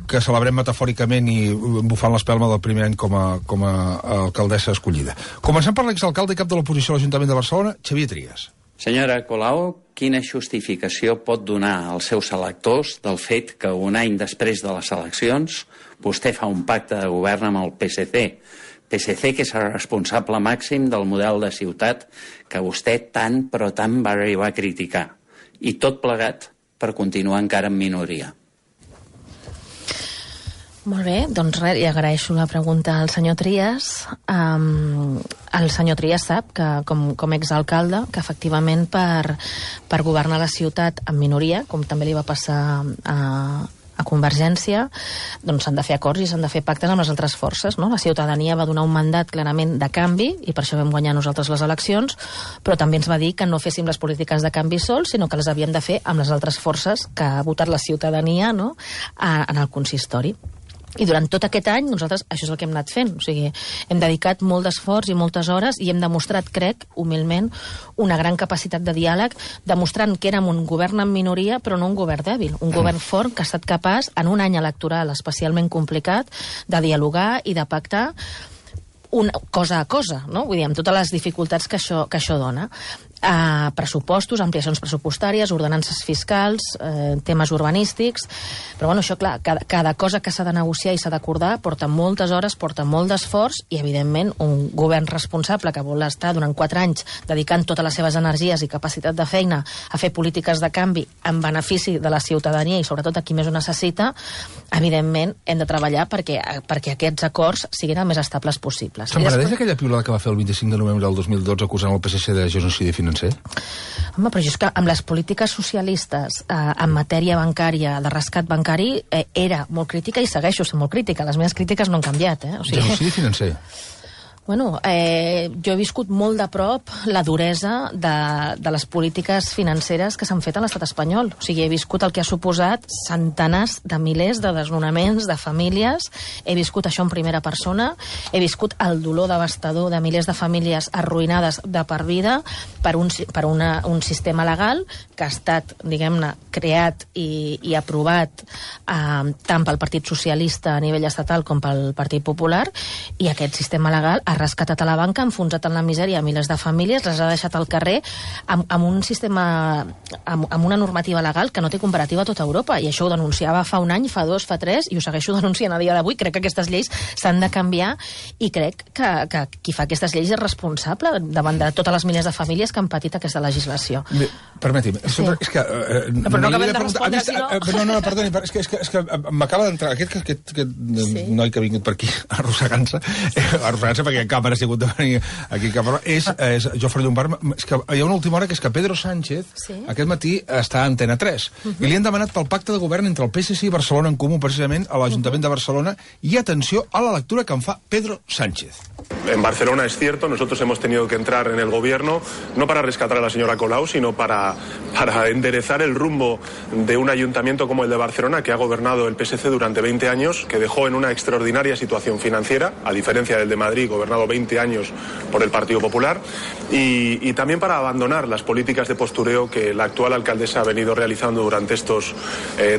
que celebrem metafòricament i bufant l'espelma del primer any com a alcaldessa escollida. Començant per l'exalcalde i cap de l'oposició a l'Ajuntament de Barcelona, Xavier Trias. Senyora Colau, quina justificació pot donar als seus electors del fet que un any després de les eleccions vostè fa un pacte de govern amb el PSC que és el responsable màxim del model de ciutat que vostè tant però tant va arribar a criticar, i tot plegat per continuar encara en minoria? Molt bé, doncs res, i agraeixo la pregunta al senyor Trias. El senyor Trias sap que, com exalcalde, que efectivament per governar la ciutat en minoria, com també li va passar a Convergència, doncs s'han de fer acords i s'han de fer pactes amb les altres forces, no? La ciutadania va donar un mandat clarament de canvi, i per això vam guanyar nosaltres les eleccions, però també ens va dir que no féssim les polítiques de canvi sols, sinó que les havíem de fer amb les altres forces que ha votat la ciutadania, no?, en el consistori. I durant tot aquest any nosaltres això és el que hem anat fent, o sigui, hem dedicat molt d'esforç i moltes hores i hem demostrat, crec, humilment, una gran capacitat de diàleg, demostrant que érem un govern en minoria però no un govern dèbil, un govern fort que ha estat capaç, en un any electoral especialment complicat, de dialogar i de pactar cosa a cosa, no? Vull dir, amb totes les dificultats que això dona. Pressupostos, ampliacions pressupostàries, ordenances fiscals, temes urbanístics, però bueno, això clar, cada cosa que s'ha de negociar i s'ha d'acordar porta moltes hores, porta molt d'esforç, i evidentment un govern responsable que vol estar durant 4 anys dedicant totes les seves energies i capacitat de feina a fer polítiques de canvi en benefici de la ciutadania i sobretot a qui més ho necessita, evidentment hem de treballar perquè aquests acords siguin el més estables possibles. Se'n penedeix aquella piulada que va fer el 25 de novembre del 2012 acusant el PSC de genocidi financer? Home, però és que amb les polítiques socialistes en matèria bancària, de rescat bancari, era molt crítica i segueixo sent molt crítica. Les meves crítiques no han canviat. O sigui, genocidi financer? Bueno, jo he viscut molt de prop la duresa de les polítiques financeres que s'han fet a l'estat espanyol. O sigui, he viscut el que ha suposat centenars de milers de desnonaments de famílies, he viscut això en primera persona, he viscut el dolor devastador de milers de famílies arruïnades de per vida per un sistema legal que ha estat, diguem-ne, creat i aprovat tant pel Partit Socialista a nivell estatal com pel Partit Popular, i aquest sistema legal ha rescatat a la banca, ha enfonsat en la misèria a milers de famílies, les ha deixat al carrer amb un sistema, amb una normativa legal que no té comparativa a tota Europa, i això ho denunciava fa un any, fa 2, fa 3, i ho segueixo denunciant a dia d'avui. Crec que aquestes lleis s'han de canviar, i crec que qui fa aquestes lleis és responsable davant de totes les milers de famílies que han patit aquesta legislació. Permeti'm, sí. És que... però no acabem de respondre, si no... No, perdoni, és que m'acaba d'entrar aquest noi que ha vingut per aquí arrossegant-se perquè càmera ha sigut de venir aquí a és Jofre Llombart. És que hi ha una última hora que és que Pedro Sánchez aquest matí està a Antena 3 i li han demanat pel pacte de govern entre el PSC i Barcelona en Comú, precisament a l'Ajuntament de Barcelona, i atenció a la lectura que en fa Pedro Sánchez. En Barcelona es cierto, nosotros hemos tenido que entrar en el gobierno no para rescatar a la señora Colau, sino para enderezar el rumbo de un ayuntamiento como el de Barcelona, que ha gobernado el PSC durante 20 años, que dejó en una extraordinaria situación financiera, a diferencia del de Madrid, gobernado 20 años por el Partido Popular, y también para abandonar las políticas de postureo que la actual alcaldesa ha venido realizando durante estos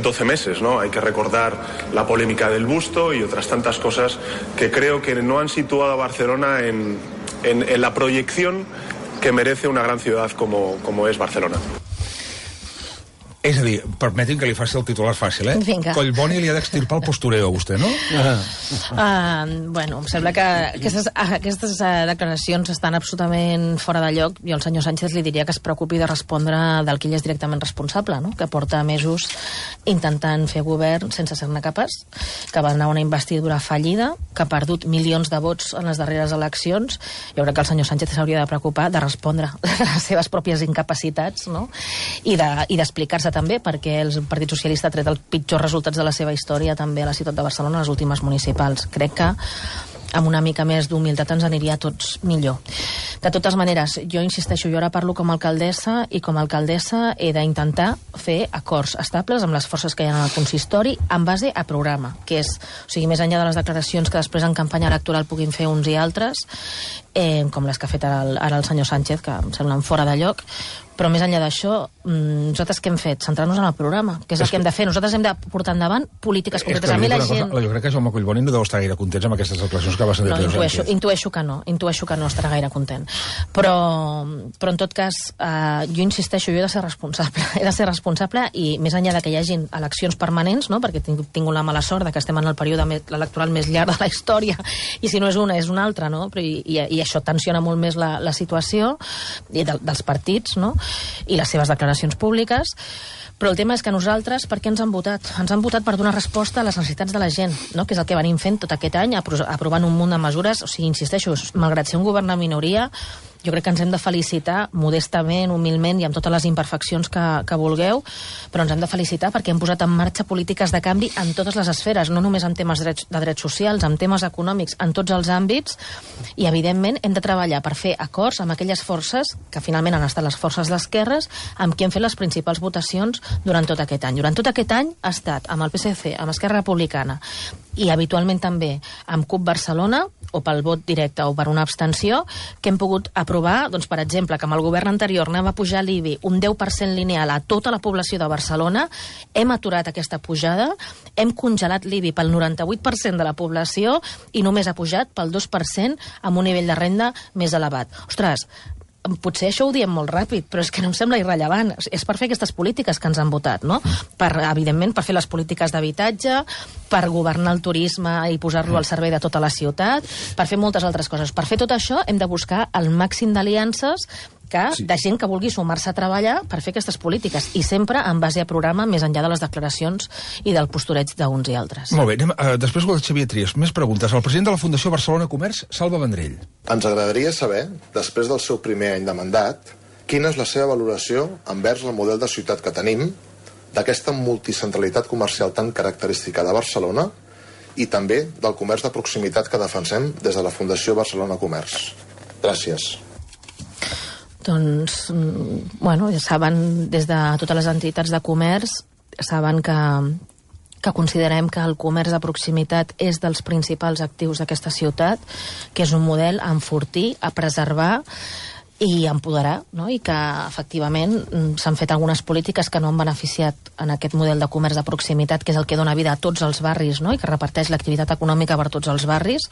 12 meses, ¿no? Hay que recordar la polémica del busto y otras tantas cosas que creo que no han situado a Barcelona en la proyección que merece una gran ciudad como es Barcelona. És a dir, permetin que li faci el titular fàcil, Vinga. Collboni li ha d'extirpar el postureo a vostè, no? Bueno, em sembla que aquestes declaracions estan absolutament fora de lloc. Jo al senyor Sánchez li diria que es preocupi de respondre del que ell és directament responsable, no? Que porta mesos intentant fer govern sense ser-ne capaç, que va anar a una investidura fallida, que ha perdut milions de vots en les darreres eleccions. Jo crec que el senyor Sánchez s'hauria de preocupar de respondre de les seves pròpies incapacitats, no? I d'explicar-se. passa també perquè el Partit Socialista ha tret els pitjors resultats de la seva història també a la ciutat de Barcelona a les últimes municipals. Crec que amb una mica més d'humilitat ens aniria a tots millor. De totes maneres, jo insisteixo, jo ara parlo com a alcaldessa i com a alcaldessa he d'intentar fer acords estables amb les forces que hi ha en el consistori en base a programa, que és, o sigui, més enllà de les declaracions que després en campanya electoral puguin fer uns i altres, com les que ha fet ara el senyor Sánchez, que em semblen fora de lloc, però més enllà d'això, nosaltres què hem fet? Centrar-nos en el programa, que és el que hem de fer. Nosaltres hem de portar endavant polítiques concretes. A mi la gent... Jo crec que Jaume Collboni no deu estar gaire contents amb aquestes declaracions que va ser de Pedro Sánchez. Intueixo que no estarà gaire content. Però en tot cas, jo insisteixo, jo he de ser responsable i més enllà de que hi hagin eleccions permanents, no? Perquè tinc la mala sort de que estem en el període electoral més llarg de la història, i si no és una, és una altra, no? I això tensiona molt més la situació dels partits, no? I les seves declaracions públiques, però el tema és que nosaltres, per què ens han votat? Ens han votat per donar resposta a les necessitats de la gent, no? Que és el que venim fent tot aquest any, aprovant un munt de mesures. O sigui, insisteixo, malgrat ser un govern de minoria, jo crec que ens hem de felicitar modestament, humilment i amb totes les imperfeccions que vulgueu, però ens hem de felicitar perquè hem posat en marxa polítiques de canvi en totes les esferes, no només en temes de drets socials, en temes econòmics, en tots els àmbits, i evidentment hem de treballar per fer acords amb aquelles forces que finalment han estat les forces d'esquerres amb qui hem fet les principals votacions durant tot aquest any. Durant tot aquest any ha estat amb el PSC, amb Esquerra Republicana i habitualment també amb CUP Barcelona, o pel vot directe o per una abstenció, que hem pogut aprovar, doncs, per exemple, que amb el govern anterior anava a pujar l'IBI un 10% lineal a tota la població de Barcelona, hem aturat aquesta pujada, hem congelat l'IBI pel 98% de la població i només ha pujat pel 2% amb un nivell de renda més elevat. Ostres, potser això ho diem molt ràpid, però és que no em sembla irrellevant. És per fer aquestes polítiques que ens han votat, no? Evidentment, per fer les polítiques d'habitatge, per governar el turisme i posar-lo al servei de tota la ciutat, per fer moltes altres coses. Per fer tot això hem de buscar el màxim d'aliances de gent que vulgui sumar-se a treballar per fer aquestes polítiques, i sempre en base a programa, més enllà de les declaracions i del postureig d'uns i altres. Molt bé, després del Xavier Trias, més preguntes. El president de la Fundació Barcelona Comerç, Salva Vendrell. Ens agradaria saber, després del seu primer any de mandat, quina és la seva valoració envers el model de ciutat que tenim, d'aquesta multicentralitat comercial tan característica de Barcelona i també del comerç de proximitat que defensem des de la Fundació Barcelona Comerç. Gràcies. Doncs, bueno, ja saben, des de totes les entitats de comerç, saben que considerem que el comerç de proximitat és dels principals actius d'aquesta ciutat, que és un model a enfortir, a preservar i empoderar, no? I que efectivament s'han fet algunes polítiques que no han beneficiat en aquest model de comerç de proximitat, que és el que dona vida a tots els barris, no? I que reparteix l'activitat econòmica per tots els barris.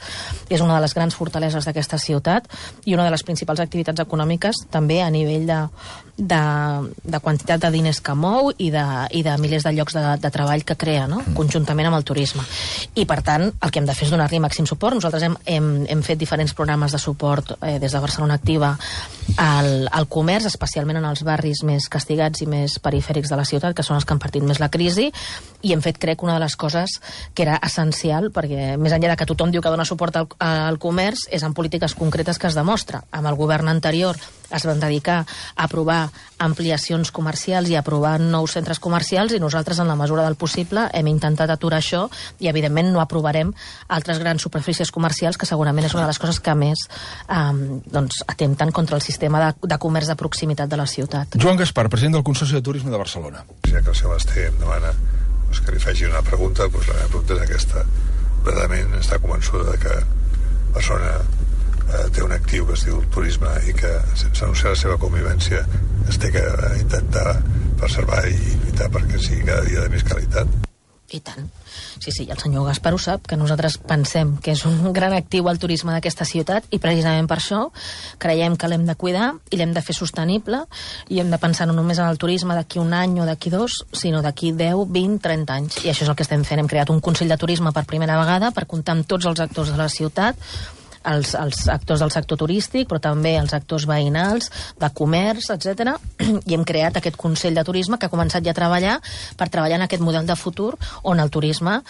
És una de les grans fortaleses d'aquesta ciutat i una de les principals activitats econòmiques també a nivell de quantitat de diners que mou i de milers de llocs de treball que crea, no? Conjuntament amb el turisme. I per tant, el que hem de fer és donar-li màxim suport. Nosaltres hem fet diferents programes de suport des de Barcelona Activa al comerç, especialment en els barris més castigats i més perifèrics de la ciutat, que són els que han patit més la crisi, i hem fet, crec, una de les coses que era essencial, perquè més enllà de que tothom diu que dona suport al comerç, és en polítiques concretes que es demostra. Amb el govern anterior es van dedicar a aprovar ampliacions comercials i a aprovar nous centres comercials, i nosaltres, en la mesura del possible, hem intentat aturar això, i evidentment no aprovarem altres grans superfícies comercials, que segurament és una de les coses que més atempten contra el sistema de comerç de proximitat de la ciutat. Joan Gaspar, president del Consorci de Turisme de Barcelona. Ja que el senyor Basté em demana que li faci una pregunta, la meva pregunta és aquesta. Verdaderament està convençuda que Barcelona té un actiu que es diu el turisme i que, sense anunciar la seva convivència, es té que intentar preservar i lluitar perquè sigui cada dia de més qualitat. I tant. Sí, el senyor Gaspar ho sap, que nosaltres pensem que és un gran actiu al turisme d'aquesta ciutat, i precisament per això creiem que l'hem de cuidar i l'hem de fer sostenible, i hem de pensar no només en el turisme d'aquí un any o d'aquí dos, sinó d'aquí 10, 20, 30 anys. I això és el que estem fent. Hem creat un Consell de Turisme per primera vegada per comptar amb tots els actors de la ciutat, els actors del sector turístic, però també els actors veïnals, de comerç, etc. I hem creat aquest Consell de Turisme que ha començat ja a treballar per treballar en aquest model de futur on el turisme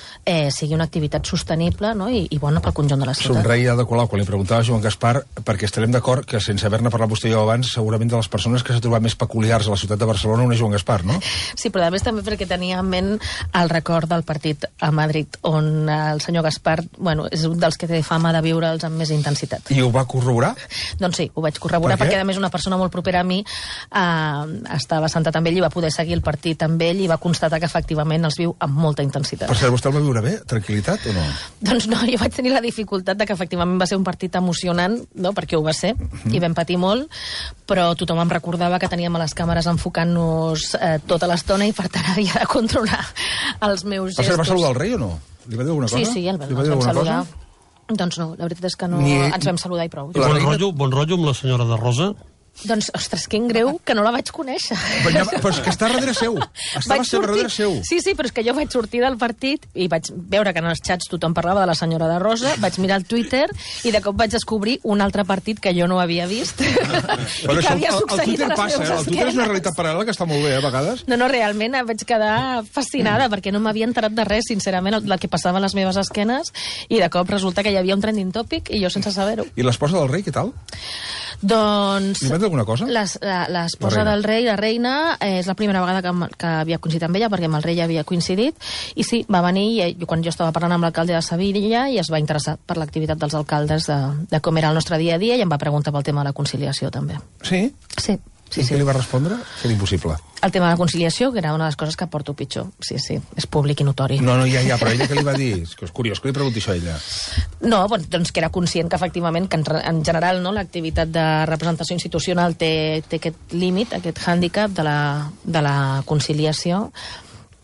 sigui una activitat sostenible, no? I bona pel conjunt de la ciutat. Somreia de Colau quan li preguntava a Joan Gaspar, perquè estarem d'acord que sense haver-ne parlat vostè i jo abans, segurament de les persones que s'ha trobat més peculiars a la ciutat de Barcelona una és Joan Gaspar, no? Sí, però a més també perquè tenia en ment el record del partit a Madrid, on el senyor Gaspar, bueno, és un dels que té fama de viure'ls amb més intensitat. I ho va corroborar? Doncs sí, ho vaig corroborar perquè a més una persona molt propera a mi estava sentat amb ell i va poder seguir el partit amb ell i va constatar que efectivament els viu amb molta intensitat. Per cert, vostè el va viure bé? Tranquil·litat o no? Doncs no, jo vaig tenir la dificultat de que efectivament va ser un partit emocionant, no? Perquè ho va ser, i vam patir molt, però tothom em recordava que teníem a les càmeres enfocant-nos tota l'estona i per tant havia de controlar els meus gestos. Va saludar el rei o no? Li va dir alguna cosa? Sí, el vam saludar. Doncs no, la veritat és que no ens vam saludar i prou. Bon rotllo amb la senyora de Rosa? Doncs, ostres, quin greu que no la vaig conèixer. Però és que està darrere seu. Estava darrere seu. Sí, però és que jo vaig sortir del partit i vaig veure que en els xats tothom parlava de la senyora de Rosa, vaig mirar el Twitter i de cop vaig descobrir un altre partit que jo no havia vist. Però això, el Twitter passa, el Twitter és una realitat paral·lela que està molt bé, a vegades. No, realment vaig quedar fascinada perquè no m'havia enterat de res, sincerament, el que passava a les meves esquenes, i de cop resulta que hi havia un trending topic i jo sense saber-ho. I l'esposa del rei, què tal? Doncs... Li va dir alguna cosa? L'esposa del rei, la reina, és la primera vegada que havia coincidit amb ella, perquè amb el rei ja havia coincidit, i sí, va venir quan jo estava parlant amb l'alcalde de Sevilla i es va interessar per l'activitat dels alcaldes de com era el nostre dia a dia i em va preguntar pel tema de la conciliació, també. Sí? Sí. I què li va respondre? Que era impossible. El tema de la conciliació, que era una de les coses que porto pitjor. Sí, és públic i notori. No, ja, però ella què li va dir? És curiós que li pregunti això a ella. No, doncs que era conscient que efectivament, que en general no, l'activitat de representació institucional té aquest límit, aquest hàndicap de la conciliació,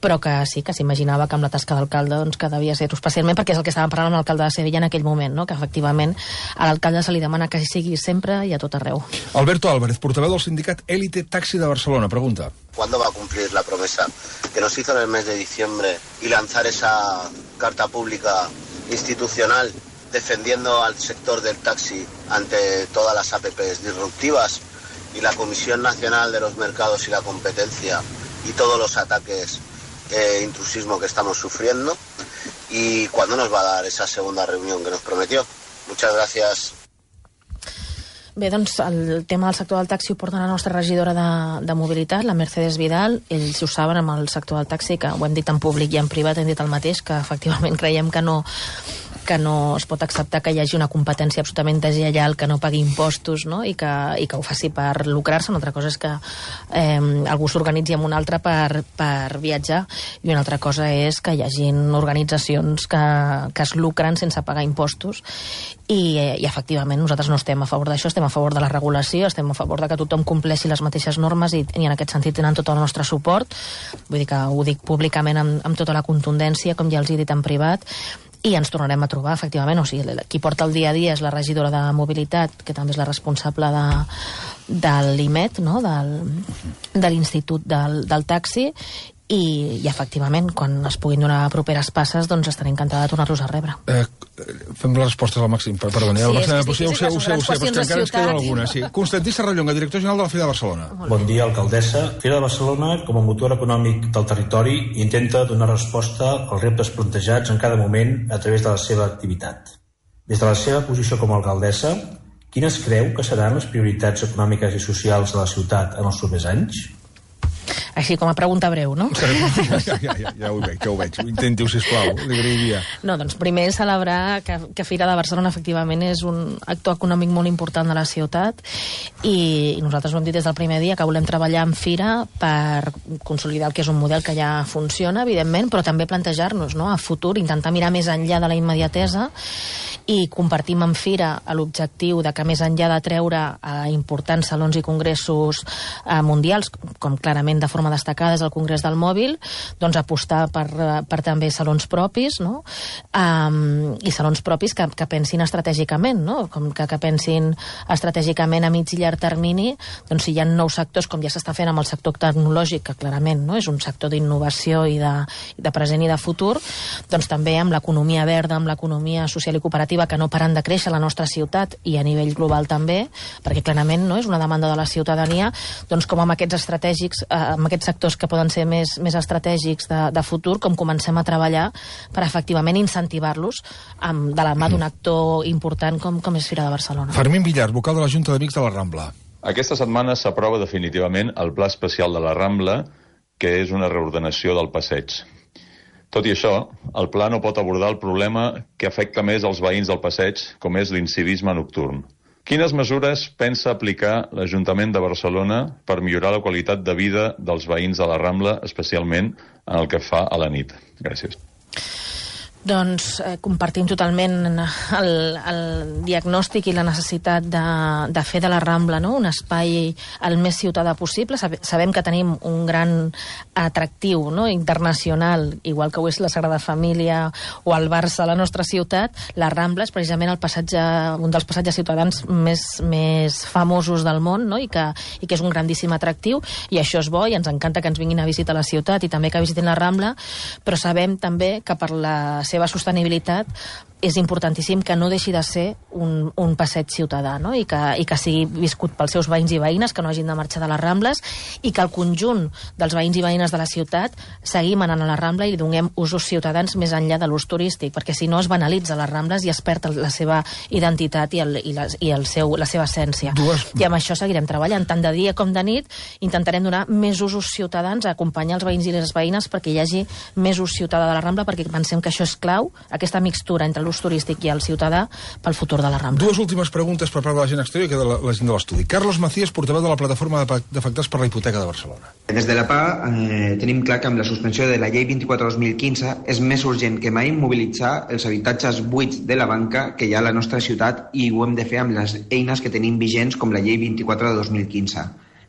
però que sí, que s'imaginava que amb la tasca d'alcalde doncs, que devia ser especialment perquè és el que estàvem parlant amb l'alcalde de Sevilla en aquell moment, no? Que efectivament a l'alcalde se li demana que sigui sempre i a tot arreu. Alberto Álvarez, portaveu del sindicat Élite Taxi de Barcelona, pregunta. ¿Cuándo va a cumplir la promesa que nos hizo en el mes de diciembre y lanzar esa carta pública institucional defendiendo al sector del taxi ante todas las APPs disruptivas y la Comisión Nacional de los Mercados y la Competencia y todos los ataques intrusismo que estamos sufriendo? ¿Y cuándo nos va a dar esa segunda reunión que nos prometió? Muchas gracias. Bé, doncs el tema del sector del taxi ho porta la nostra regidora de mobilitat, la Mercedes Vidal. Ells ho saben amb el sector del taxi, que ho hem dit en públic i en privat, hem dit el mateix, que efectivament creiem que no es pot acceptar que hi hagi una competència absolutament deslleial, que no pagui impostos, no? I que ho faci per lucrar-se. Una altra cosa és que algú s'organitzi amb un altre per viatjar, i una altra cosa és que hi hagin organitzacions que es lucren sense pagar impostos, i efectivament nosaltres no estem a favor d'això, estem a favor de la regulació, estem a favor de que tothom compleixi les mateixes normes i en aquest sentit tenen tot el nostre suport. Vull dir que ho dic públicament amb tota la contundència, com ja els he dit en privat, i ens tornarem a trobar, efectivament. O sigui, qui porta el dia a dia és la regidora de mobilitat, que també és la responsable de l'IMET, no? de l'Institut del Taxi, i efectivament, quan es puguin donar properes passes, doncs estaré encantada de tornar-los a rebre. Fem les respostes al màxim, perdoni. Sí, ho sé, però és que encara ens queden algunes. Sí. Constantí Serrallonga, director general de la Fira de Barcelona. Bon dia, alcaldessa. Fira de Barcelona, com a motor econòmic del territori, intenta donar resposta als reptes plantejats en cada moment a través de la seva activitat. Des de la seva posició com a alcaldessa, quines creu que seran les prioritats econòmiques i socials de la ciutat en els propers anys? Així com a pregunta breu, no? Ja ho veig. Intenti-ho, sisplau, li agrairia. No, doncs primer celebrar que Fira de Barcelona efectivament és un actor econòmic molt important de la ciutat, i nosaltres ho hem dit des del primer dia, que volem treballar en Fira per consolidar el que és un model que ja funciona, evidentment, però també plantejar-nos, no?, a futur, intentar mirar més enllà de la immediatesa, i compartim amb Fira l'objectiu de que més enllà de treure importants salons i congressos mundials, com clarament de forma destacada és el Congrés del Mòbil, doncs apostar per també salons propis, no? I salons propis que pensin estratègicament, no? Com que pensin estratègicament a mig i llarg termini, doncs si hi ha nous sectors, com ja s'està fent amb el sector tecnològic, que clarament, no?, és un sector d'innovació i de present i de futur, doncs també amb l'economia verda, amb l'economia social i cooperativa, definitiva, que no paren de créixer a la nostra ciutat i a nivell global també, perquè clarament no és una demanda de la ciutadania, doncs com amb aquests estratègics, amb aquests sectors que poden ser més estratègics de futur, com comencem a treballar per efectivament incentivar-los de la mà d'un actor important com és Fira de Barcelona. Fermín Villar, vocal de la Junta d'Amics de la Rambla. Aquesta setmana s'aprova definitivament el Pla Especial de la Rambla, que és una reordenació del passeig. Tot i això, el pla no pot abordar el problema que afecta més els veïns del passeig, com és l'incivisme nocturn. Quines mesures pensa aplicar l'Ajuntament de Barcelona per millorar la qualitat de vida dels veïns de la Rambla, especialment en el que fa a la nit? Gràcies. Doncs compartim totalment el diagnòstic i la necessitat de fer de la Rambla un espai el més ciutadà possible. Sabem que tenim un gran atractiu internacional, igual que ho és la Sagrada Família o el Barça a la nostra ciutat. La Rambla és precisament un dels passatges ciutadans més famosos del món, i que és un grandíssim atractiu, i això és bo, i ens encanta que ens vinguin a visitar la ciutat i també que visitin la Rambla, però sabem també que per la seva sostenibilitat és importantíssim que no deixi de ser un passeig ciutadà, i que sigui viscut pels seus veïns i veïnes, que no hagin de marxar de les Rambles, i que el conjunt dels veïns i veïnes de la ciutat seguim anant a la Rambla i li donem usos ciutadans més enllà de l'ús turístic, perquè si no es banalitza les Rambles i es perd la seva identitat i la seva essència. I amb això seguirem treballant, tant de dia com de nit. Intentarem donar més usos ciutadans, acompanyar els veïns i les veïnes perquè hi hagi més ús ciutadà de la Rambla, perquè pensem que això és clau, aquesta mixtura entre l'ús turístic i el ciutadà pel futur de la Rambla. Dues últimes preguntes per part de la gent exterior i que de la gent de l'estudi. Carlos Macías, portaveu de la plataforma d'afectats per la hipoteca de Barcelona. Des de la PA tenim clar que amb la suspensió de la llei 24/2015 és més urgent que mai mobilitzar els habitatges buits de la banca que hi ha a la nostra ciutat, i ho hem de fer amb les eines que tenim vigents com la llei 24 de 2015.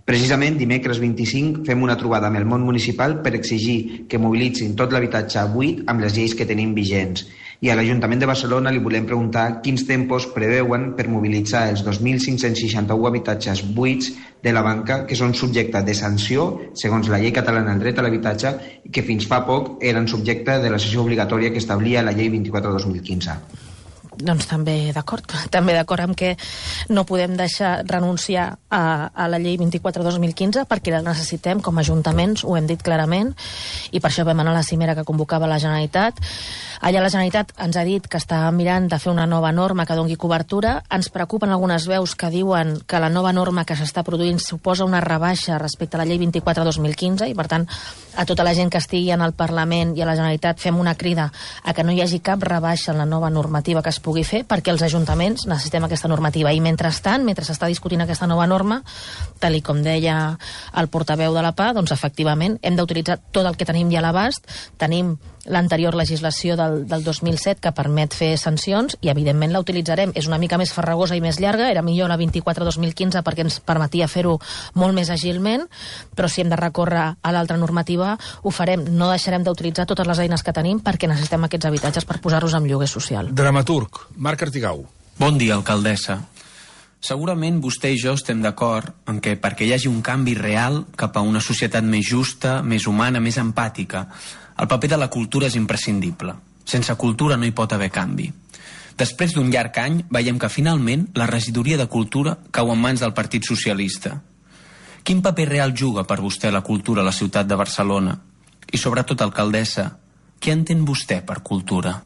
Precisament dimecres 25 fem una trobada amb el món municipal per exigir que mobilitzin tot l'habitatge buit amb les lleis que tenim vigents. I a l'Ajuntament de Barcelona li volem preguntar quins tempos preveuen per mobilitzar els 2.561 habitatges buits de la banca que són subjecte de sanció segons la llei catalana del dret a l'habitatge i que fins fa poc eren subjecte de la cessió obligatòria que establia la llei 24/2015. Doncs també d'acord amb que no podem deixar renunciar a la llei 24/2015 perquè la necessitem com a ajuntaments, ho hem dit clarament, i per això vam anar a la cimera que convocava la Generalitat. Allà la Generalitat ens ha dit que està mirant de fer una nova norma que doni cobertura. Ens preocupen algunes veus que diuen que la nova norma que s'està produint suposa una rebaixa respecte a la llei 24/2015 i, per tant, a tota la gent que estigui en el Parlament i a la Generalitat fem una crida a que no hi hagi cap rebaixa en la nova normativa que es pugui fer, perquè els ajuntaments necessitem aquesta normativa. I mentrestant, mentre s'està discutint aquesta nova norma, tal com deia el portaveu de la PA, doncs efectivament hem d'utilitzar tot el que tenim ja a l'abast. Tenim l'anterior legislació del 2007 que permet fer sancions i evidentment la utilitzarem. És una mica més farragosa i més llarga, era millor la 24/2015 perquè ens permetia fer-ho molt més agilment, però si hem de recórrer a l'altra normativa ho farem. No deixarem d'utilitzar totes les eines que tenim perquè necessitem aquests habitatges per posar-los en lloguer social. Dramaturg, Marc Artigau. Bon dia, alcaldessa. Segurament vostè i jo estem d'acord en que perquè hi hagi un canvi real cap a una societat més justa, més humana, més empàtica, el paper de la cultura és imprescindible. Sense cultura no hi pot haver canvi. Després d'un llarg any, veiem que finalment la regidoria de cultura cau en mans del Partit Socialista. Quin paper real juga per vostè la cultura a la ciutat de Barcelona? I sobretot, alcaldessa, què entén vostè per cultura?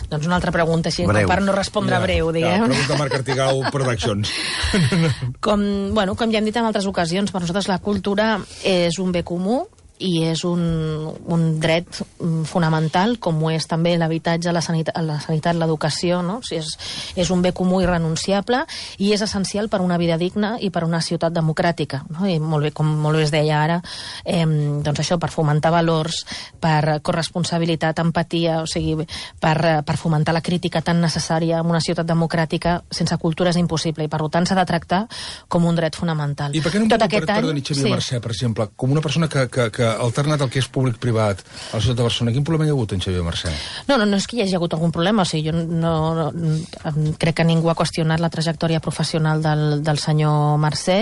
Doncs una altra pregunta, així, per no respondre breu, diguem. Pregunta Marc Artigau Productions. Com ja hem dit en altres ocasions, per nosaltres la cultura és un bé comú i és un dret fonamental, com ho és també l'habitatge, la sanitat, l'educació, no? O sigui, és un bé comú irrenunciable i és essencial per una vida digna i per una ciutat democràtica, no? I molt bé, com molt bé es deia ara, doncs això, per fomentar valors, per corresponsabilitat, empatia, o sigui, per fomentar la crítica tan necessària en una ciutat democràtica, sense cultura és impossible, i per tant s'ha de tractar com un dret fonamental. I per què no em perdoni, Xavier Mercè, per exemple, com una persona que alternat el que és públic-privat a la ciutat de Barcelona, quin problema hi ha hagut en Xavier Mercè? No és que hi hagi hagut algun problema, o sigui, jo no crec que ningú ha qüestionat la trajectòria professional del senyor Mercè.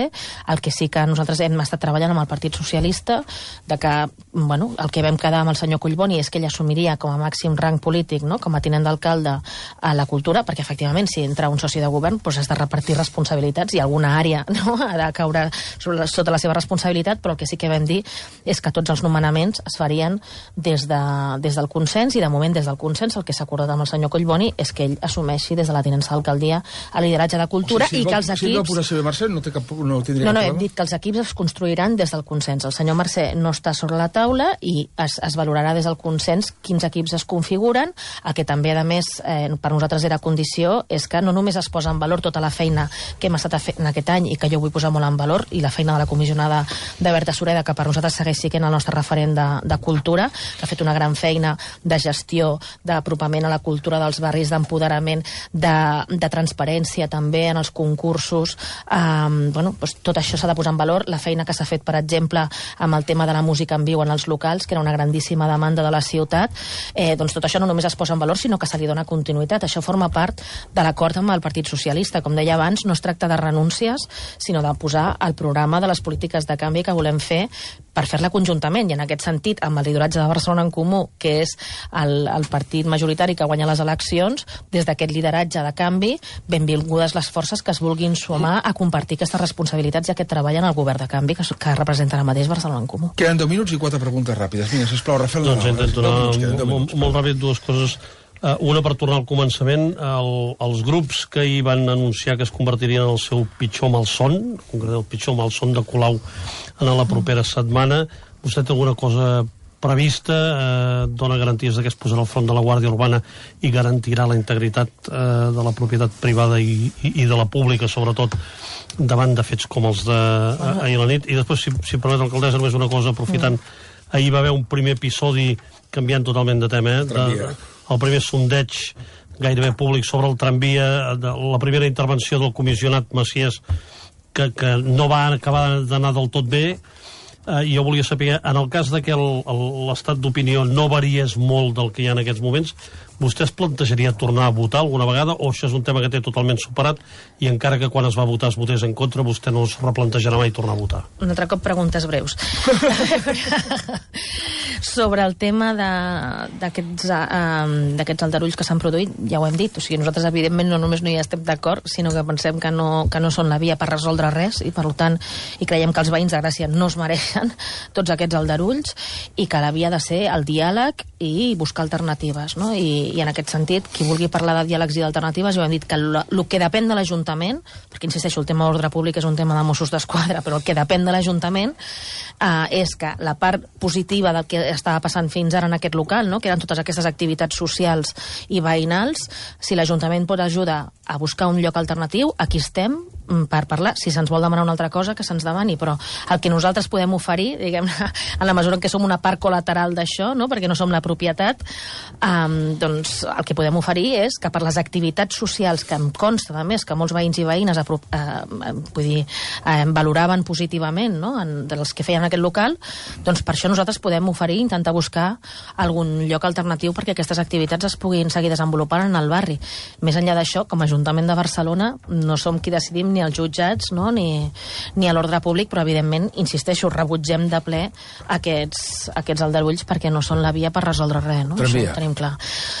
El que sí que nosaltres hem estat treballant amb el Partit Socialista, de que, bueno, el que vam quedar amb el senyor Collboni és que ell assumiria com a màxim rang polític, no?, com a tinent d'alcalde a la cultura, perquè efectivament si entra un soci de govern doncs has de repartir responsabilitats i alguna àrea, no?, ha de caure sota la seva responsabilitat, però el que sí que vam dir és que tots els nomenaments es farien des del consens, i de moment des del consens el que s'ha acordat amb el senyor Collboni és que ell assumeixi des de la tinença d'alcaldia el lideratge de cultura, i que els equips... Si no posar Xavier Mercè no tindria cap problema? No, hem dit que els equips es construiran des del consens. El senyor Mercè no està sobre la taula i es valorarà des del consens quins equips es configuren. El que també, a més, per nosaltres era condició és que no només es posa en valor tota la feina que hem estat fent aquest any i que jo vull posar molt en valor, i la feina de la comissionada de Berta Sureda, que per nosaltres segueix sent el nostre referent de cultura, que ha fet una gran feina de gestió, d'apropament a la cultura dels barris, d'empoderament, de transparència també en els concursos. Tot això s'ha de posar en valor. La feina que s'ha fet, per exemple, amb el tema de la música en viu en els locals, que era una grandíssima demanda de la ciutat, doncs tot això no només es posa en valor, sinó que se li dona continuïtat. Això forma part de l'acord amb el Partit Socialista. Com deia abans, no es tracta de renúncies, sinó de posar el programa de les polítiques de canvi que volem fer per fer-la conjuntament, i en aquest sentit, amb el lideratge de Barcelona en Comú, que és el partit majoritari que guanya les eleccions, des d'aquest lideratge de canvi, benvingudes les forces que es vulguin sumar a compartir aquestes responsabilitats i aquest treball en el govern de canvi que representa ara mateix Barcelona en Comú. Queden 10 minuts i 4 preguntes ràpides. Vinga, sisplau, Rafael. Doncs intento anar molt ràpid, dues coses. Una, per tornar al començament, els grups que hi van anunciar que es convertirien en el seu pitjor malson, en concret el pitjor malson de Colau en la propera setmana, vostè té alguna cosa prevista, dona garanties que es posarà al front de la Guàrdia Urbana i garantirà la integritat de la propietat privada i de la pública, sobretot davant de fets com els d'ahir a la nit? I després, si permet, alcaldessa, només una cosa, aprofitant, ahir va haver un primer episodi, canviant totalment de tema, el primer sondeig gairebé públic sobre el tramvia, la primera intervenció del comissionat Maciès, que no va acabar d'anar del tot bé. Jo volia saber, en el cas que l'estat d'opinió no variés molt del que hi ha en aquests moments, vostè es plantejaria tornar a votar alguna vegada, o això és un tema que té totalment superat i encara que quan es va votar es votés en contra, vostè no es replantejarà mai tornar a votar? Un altre cop preguntes breus. Sobre el tema d'aquests aldarulls que s'han produït, ja ho hem dit, o sigui, nosaltres evidentment no només no hi estem d'acord, sinó que pensem que no són la via per resoldre res, i per tant creiem que els veïns de Gràcia no es mereixen tots aquests aldarulls, i que la via ha de ser el diàleg i buscar alternatives, no? I en aquest sentit, qui vulgui parlar de diàlegs i d'alternatives, jo hem dit que el que depèn de l'Ajuntament, perquè insisteixo, el tema d'ordre públic és un tema de Mossos d'Esquadra, però el que depèn de l'Ajuntament és que la part positiva del que estava passant fins ara en aquest local, no?, que eren totes aquestes activitats socials i veïnals, si l'Ajuntament pot ajudar a buscar un lloc alternatiu, aquí estem per parlar. Si se'ns vol demanar una altra cosa, que se'ns demani, però el que nosaltres podem oferir, diguem-ne, en la mesura en què som una part col·lateral d'això, no?, perquè no som la propietat, doncs el que podem oferir és que per les activitats socials, que em consta, a més, que molts veïns i veïnes valoraven positivament, no?, dels que feien aquest local, doncs per això nosaltres podem oferir, intentar buscar algun lloc alternatiu perquè aquestes activitats es puguin seguir desenvolupant en el barri. Més enllà d'això, com a Ajuntament de Barcelona, no som qui decidim ni els jutjats, no?, ni a l'ordre públic, però evidentment, insisteixo, rebutgem de ple aquests aldarulls perquè no són la via per resoldre res, no? Això ho tenim clar.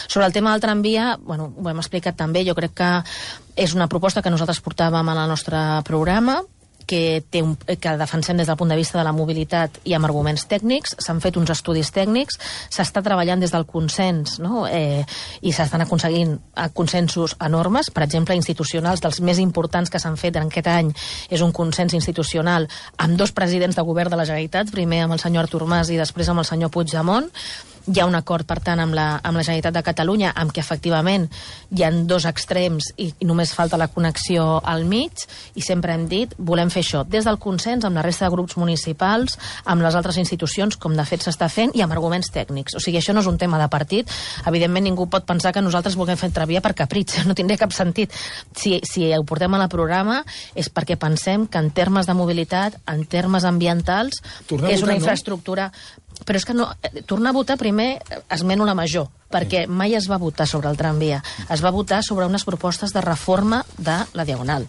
Sobre el tema del tramvia, bueno, ho hem explicat també, jo crec que és una proposta que nosaltres portàvem en el nostre programa, que defensem des del punt de vista de la mobilitat i amb arguments tècnics. S'han fet uns estudis tècnics, s'està treballant des del consens, no?, i s'estan aconseguint consensos enormes, per exemple, institucionals, dels més importants que s'han fet en aquest any és un consens institucional amb 2 presidents de govern de la Generalitat, primer amb el senyor Artur Mas i després amb el senyor Puigdemont, Hi ha un acord, per tant, amb la Generalitat de Catalunya, amb què efectivament hi ha dos extrems i només falta la connexió al mig, i sempre hem dit, volem fer això des del consens amb la resta de grups municipals, amb les altres institucions, com de fet s'està fent, i amb arguments tècnics. O sigui, això no és un tema de partit. Evidentment, ningú pot pensar que nosaltres vulguem fer Tramvia per capritx. No tindria cap sentit. Si ho portem a la programa és perquè pensem que en termes de mobilitat, en termes ambientals, és una infraestructura... Però és que no, tornar a votar primer esmeno la major, perquè mai es va votar sobre el tramvia, es va votar sobre unes propostes de reforma de la Diagonal,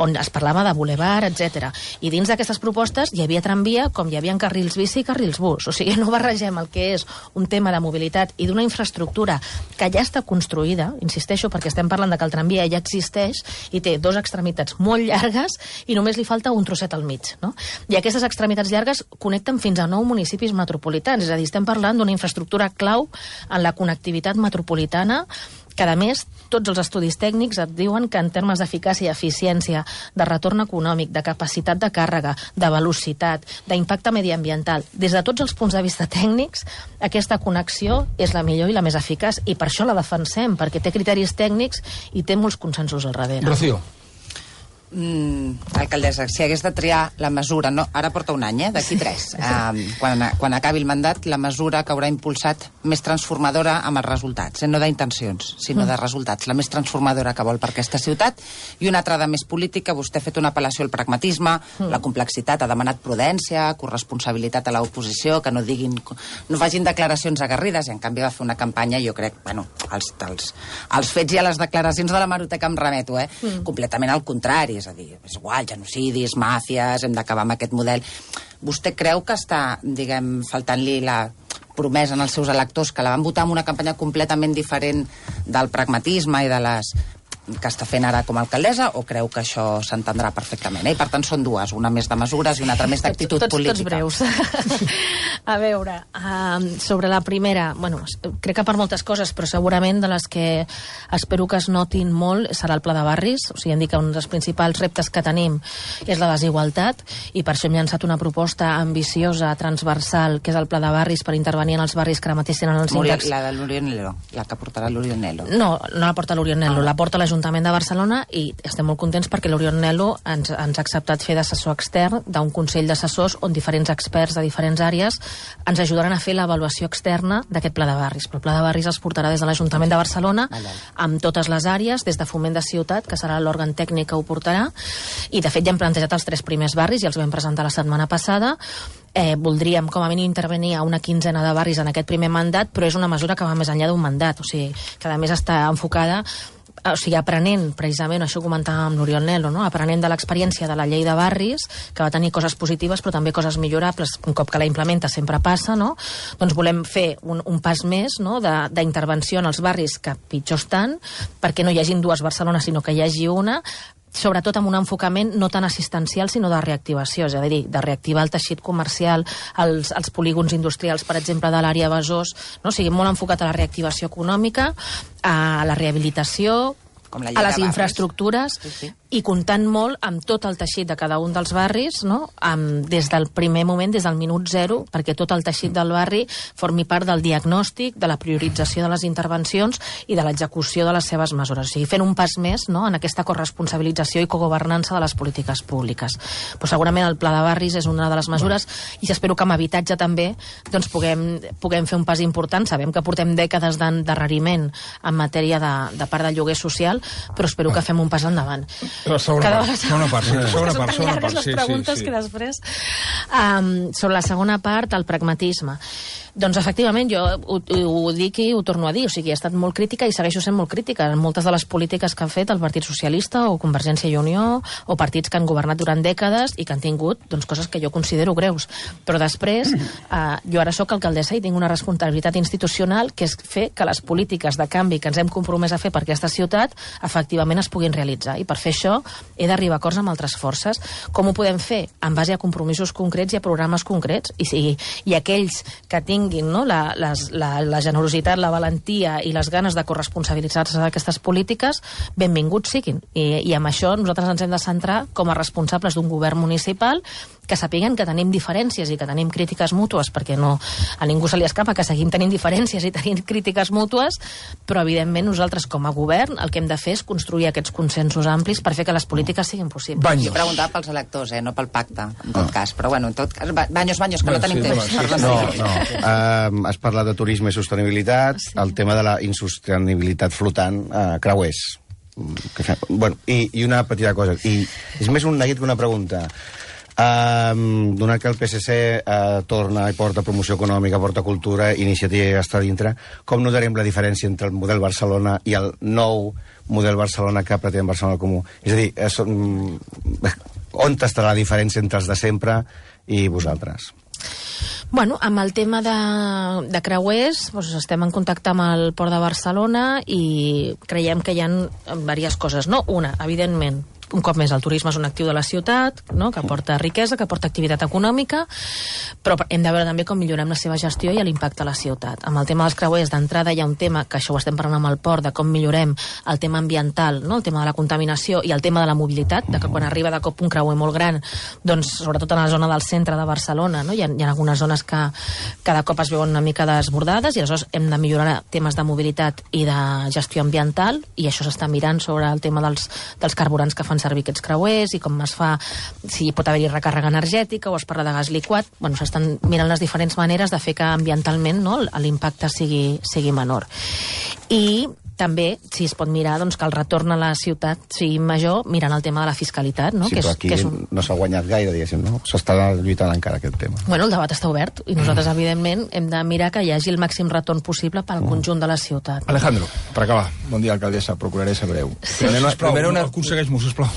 on es parlava de bulevard, etc. I dins d'aquestes propostes hi havia tramvia com hi havia carrils bici i carrils bus. O sigui, no barregem el que és un tema de mobilitat i d'una infraestructura que ja està construïda, insisteixo, perquè estem parlant de que el tramvia ja existeix i té dos extremitats molt llargues i només li falta un trosset al mig, no? I aquestes extremitats llargues connecten fins a 9 municipis metropolitans, és a dir, estem parlant d'una infraestructura clau en la connectivitat metropolitana, que a més tots els estudis tècnics et diuen que en termes d'eficàcia i eficiència, de retorn econòmic, de capacitat de càrrega, de velocitat, d'impacte mediambiental, des de tots els punts de vista tècnics, aquesta connexió és la millor i la més eficaç, i per això la defensem, perquè té criteris tècnics i té molts consensos al darrere. Rocío. Alcaldessa, si hagués de triar la mesura, no, ara porta un any, d'aquí 3, quan acabi el mandat, la mesura que haurà impulsat més transformadora amb els resultats, no d'intencions, sinó de resultats, la més transformadora que vol per aquesta ciutat, i una altra de més política. Vostè ha fet una apel·lació al pragmatisme, la complexitat, ha demanat prudència, corresponsabilitat a l'oposició, que no diguin, no facin declaracions aguerrides, i en canvi va fer una campanya, jo crec, bueno, als fets i a les declaracions de la Hemeroteca em remeto, completament al contrari, és a dir, és igual, genocidis, màfies, hem d'acabar amb aquest model. Vostè creu que està, diguem, faltant-li la promesa als seus electors, que la van votar amb una campanya completament diferent del pragmatisme i de les que està fent ara com a alcaldessa, o creu que això s'entendrà perfectament? I per tant són dues, una més de mesures i una altra més d'actitud política. Tots breus. A veure, sobre la primera, bueno, crec que per moltes coses, però segurament de les que espero que es notin molt serà el pla de barris. O sigui, hem dit que un dels principals reptes que tenim és la desigualtat, i per això hem llançat una proposta ambiciosa, transversal, que és el pla de barris per intervenir en els barris que ara mateix tenen els índexs. La de l'Orionello, la que portarà l'Orionello. No, no la porta l'Orionello, la porta l'Ajuntament de Barcelona, i estem molt contents perquè l'Orionello ens ha acceptat fer d'assessor extern d'un consell d'assessors on diferents experts de diferents àrees ens ajudaran a fer l'avaluació externa d'aquest pla de barris. Però el pla de barris es portarà des de l'Ajuntament de Barcelona amb totes les àrees, des de Foment de Ciutat, que serà l'òrgan tècnic que ho portarà, i de fet ja hem plantejat els 3 primers barris i els vam presentar la setmana passada. Voldríem com a mínim intervenir a una 15ena de barris en aquest primer mandat, però és una mesura que va més enllà d'un mandat, o sigui, que a més està enfocada, o sigui, aprenent, precisament, això ho comentàvem amb l'Oriol Nel·lo, no? Aprenent de l'experiència de la llei de barris, que va tenir coses positives però també coses millorables, un cop que la implementa sempre passa, no? Doncs volem fer un pas més, no?, d'intervenció en els barris que pitjor estan, perquè no hi hagin 2 Barcelones, sinó que hi hagi una, sobretot amb un enfocament no tan assistencial sinó de reactivació, és a dir, de reactivar el teixit comercial, els polígons industrials, per exemple, de l'àrea Besòs, no? O sigui, molt enfocat a la reactivació econòmica, a la rehabilitació, a les infraestructures, i comptant molt amb tot el teixit de cada un dels barris, no? Des del primer moment, des del minut 0, perquè tot el teixit del barri formi part del diagnòstic, de la priorització de les intervencions i de l'execució de les seves mesures. O sigui, fent un pas més, no?, en aquesta corresponsabilització i cogovernança de les polítiques públiques. Però segurament el pla de barris és una de les mesures, i espero que amb habitatge també doncs puguem fer un pas important. Sabem que portem dècades d'endarreriment en matèria de part del lloguer social, però espero que fem un pas endavant. La segona part. Les preguntes que després... Sobre la segona part, el pragmatisme. Doncs, efectivament, jo ho dic i ho torno a dir. O sigui, he estat molt crítica i segueixo sent molt crítica en moltes de les polítiques que han fet el Partit Socialista o Convergència i Unió o partits que han governat durant dècades i que han tingut doncs, coses que jo considero greus. Però després, jo ara sóc alcaldessa i tinc una responsabilitat institucional, que és fer que les polítiques de canvi que ens hem compromès a fer per aquesta ciutat efectivament es puguin realitzar. I per fer això he d'arribar a acords amb altres forces. Com ho podem fer? En base a compromisos concrets i a programes concrets. I aquells que tinguin, no, la generositat, la valentia i les ganes de corresponsabilitzar-se d'aquestes polítiques, benvinguts siguin. I amb això nosaltres ens hem de centrar com a responsables d'un govern municipal que sapiguen que tenim diferències i que tenim crítiques mútues, perquè no, a ningú se li escapa que seguim tenint diferències i tenim crítiques mútues, però evidentment nosaltres com a govern el que hem de fer és construir aquests consensos amplis per fer que les polítiques siguin possibles. Jo preguntava pels electors, no pel pacte, en tot cas. Però bueno, en tot cas, Baños, que no tenim temps. Has parlat de turisme i sostenibilitat, el tema de la insostenibilitat flotant, creuers. I una petita cosa, i és més un neguit que una pregunta. Donat que el PSC torna i porta promoció econòmica, porta cultura, iniciativa està dintre, com notarem la diferència entre el model Barcelona i el nou model Barcelona que pretén Barcelona Comú? És a dir, on està la diferència entre els de sempre i vosaltres? Bueno, amb el tema de creuers, doncs estem en contacte amb el Port de Barcelona i creiem que hi ha diverses coses, no? Una, evidentment, un cop més, el turisme és un actiu de la ciutat, no? Que aporta riquesa, que aporta activitat econòmica, però hem de veure també com millorem la seva gestió i l'impacte a la ciutat. Amb el tema dels creuers, d'entrada hi ha un tema, que això ho estem parlant amb el port, de com millorem el tema ambiental, no? El tema de la contaminació i el tema de la mobilitat, de que quan arriba de cop un creuer molt gran, doncs, sobretot en la zona del centre de Barcelona, no? Hi ha algunes zones que cada cop es veuen una mica desbordades i aleshores hem de millorar temes de mobilitat i de gestió ambiental, i això s'està mirant sobre el tema dels carburants que fan servir aquests creuers i com es fa, si pot haver-hi recàrrega energètica o es parla de gas liquat. Bueno, s'estan mirant les diferents maneres de fer que ambientalment, no, l'impacte sigui menor. I també, si es pot mirar, doncs, que el retorn a la ciutat sigui major mirant el tema de la fiscalitat, no? Sí, però aquí no s'ha guanyat gaire, diguéssim, no? S'està lluitant encara aquest tema. Bueno, el debat està obert i nosaltres, evidentment, hem de mirar que hi hagi el màxim retorn possible pel conjunt de la ciutat. Alejandro, per acabar. Bon dia, alcaldessa, procuraré ser breu. Aconsegueix-m'ho, sisplau.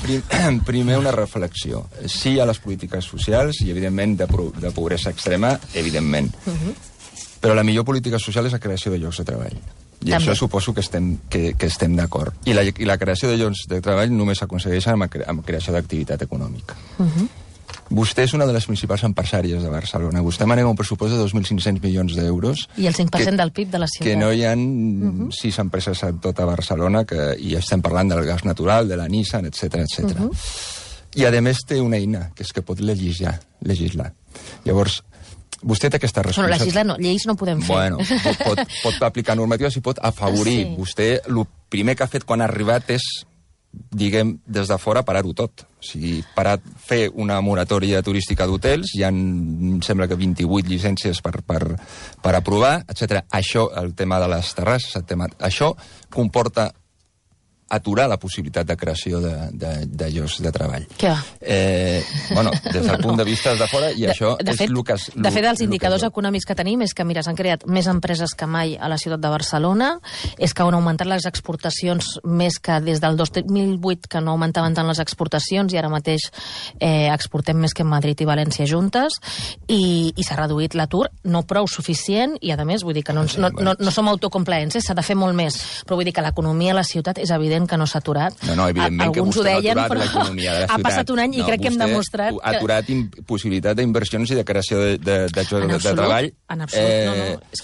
Primer una reflexió. Sí a les polítiques socials i, evidentment, de pobresa extrema, evidentment. Però la millor política social és la creació de llocs de treball. I també. Això suposo que estem d'acord. I la creació de llocs de treball només s'aconsegueix amb creació d'activitat econòmica. Vostè és una de les principals empresàries de Barcelona. Vostè manega un pressupost de 2.500 milions d'euros. I el 5% del PIB de la ciutat. Que no hi ha 6 empreses a tota Barcelona, i estem parlant del gas natural, de la Nissan, etc. I, a més, té una eina, que és que pot legislar. Llavors, vostè té aquesta responsabilitat. Bueno, legislar no, lleis no podem fer. Bueno, pot aplicar normatives i pot afavorir. Sí. Vostè, el primer que ha fet quan ha arribat és, diguem, des de fora, parar-ho tot. O sigui, fer una moratòria turística d'hotels, hi ha, em sembla que 28 llicències per aprovar, etc. Això, el tema de les terrasses, això comporta aturar la possibilitat de creació de llocs de treball. Què va? Bueno, des del punt de vista de fora, i això és el que... De fet, els indicadors econòmics que tenim és que, mira, s'han creat més empreses que mai a la ciutat de Barcelona, és que han augmentat les exportacions més que des del 2008, que no augmentaven tant les exportacions, i ara mateix exportem més que Madrid i València juntes, i s'ha reduït l'atur, no prou suficient, i a més, vull dir que no som autocomplaents, s'ha de fer molt més, però vull dir que l'economia a la ciutat és evident que no s'ha aturat. No, evidentment que vostè ha aturat l'economia de la ciutat. Ha passat un any i crec que hem demostrat... Ha aturat possibilitat d'inversions i de creació de treball. En absolut, no.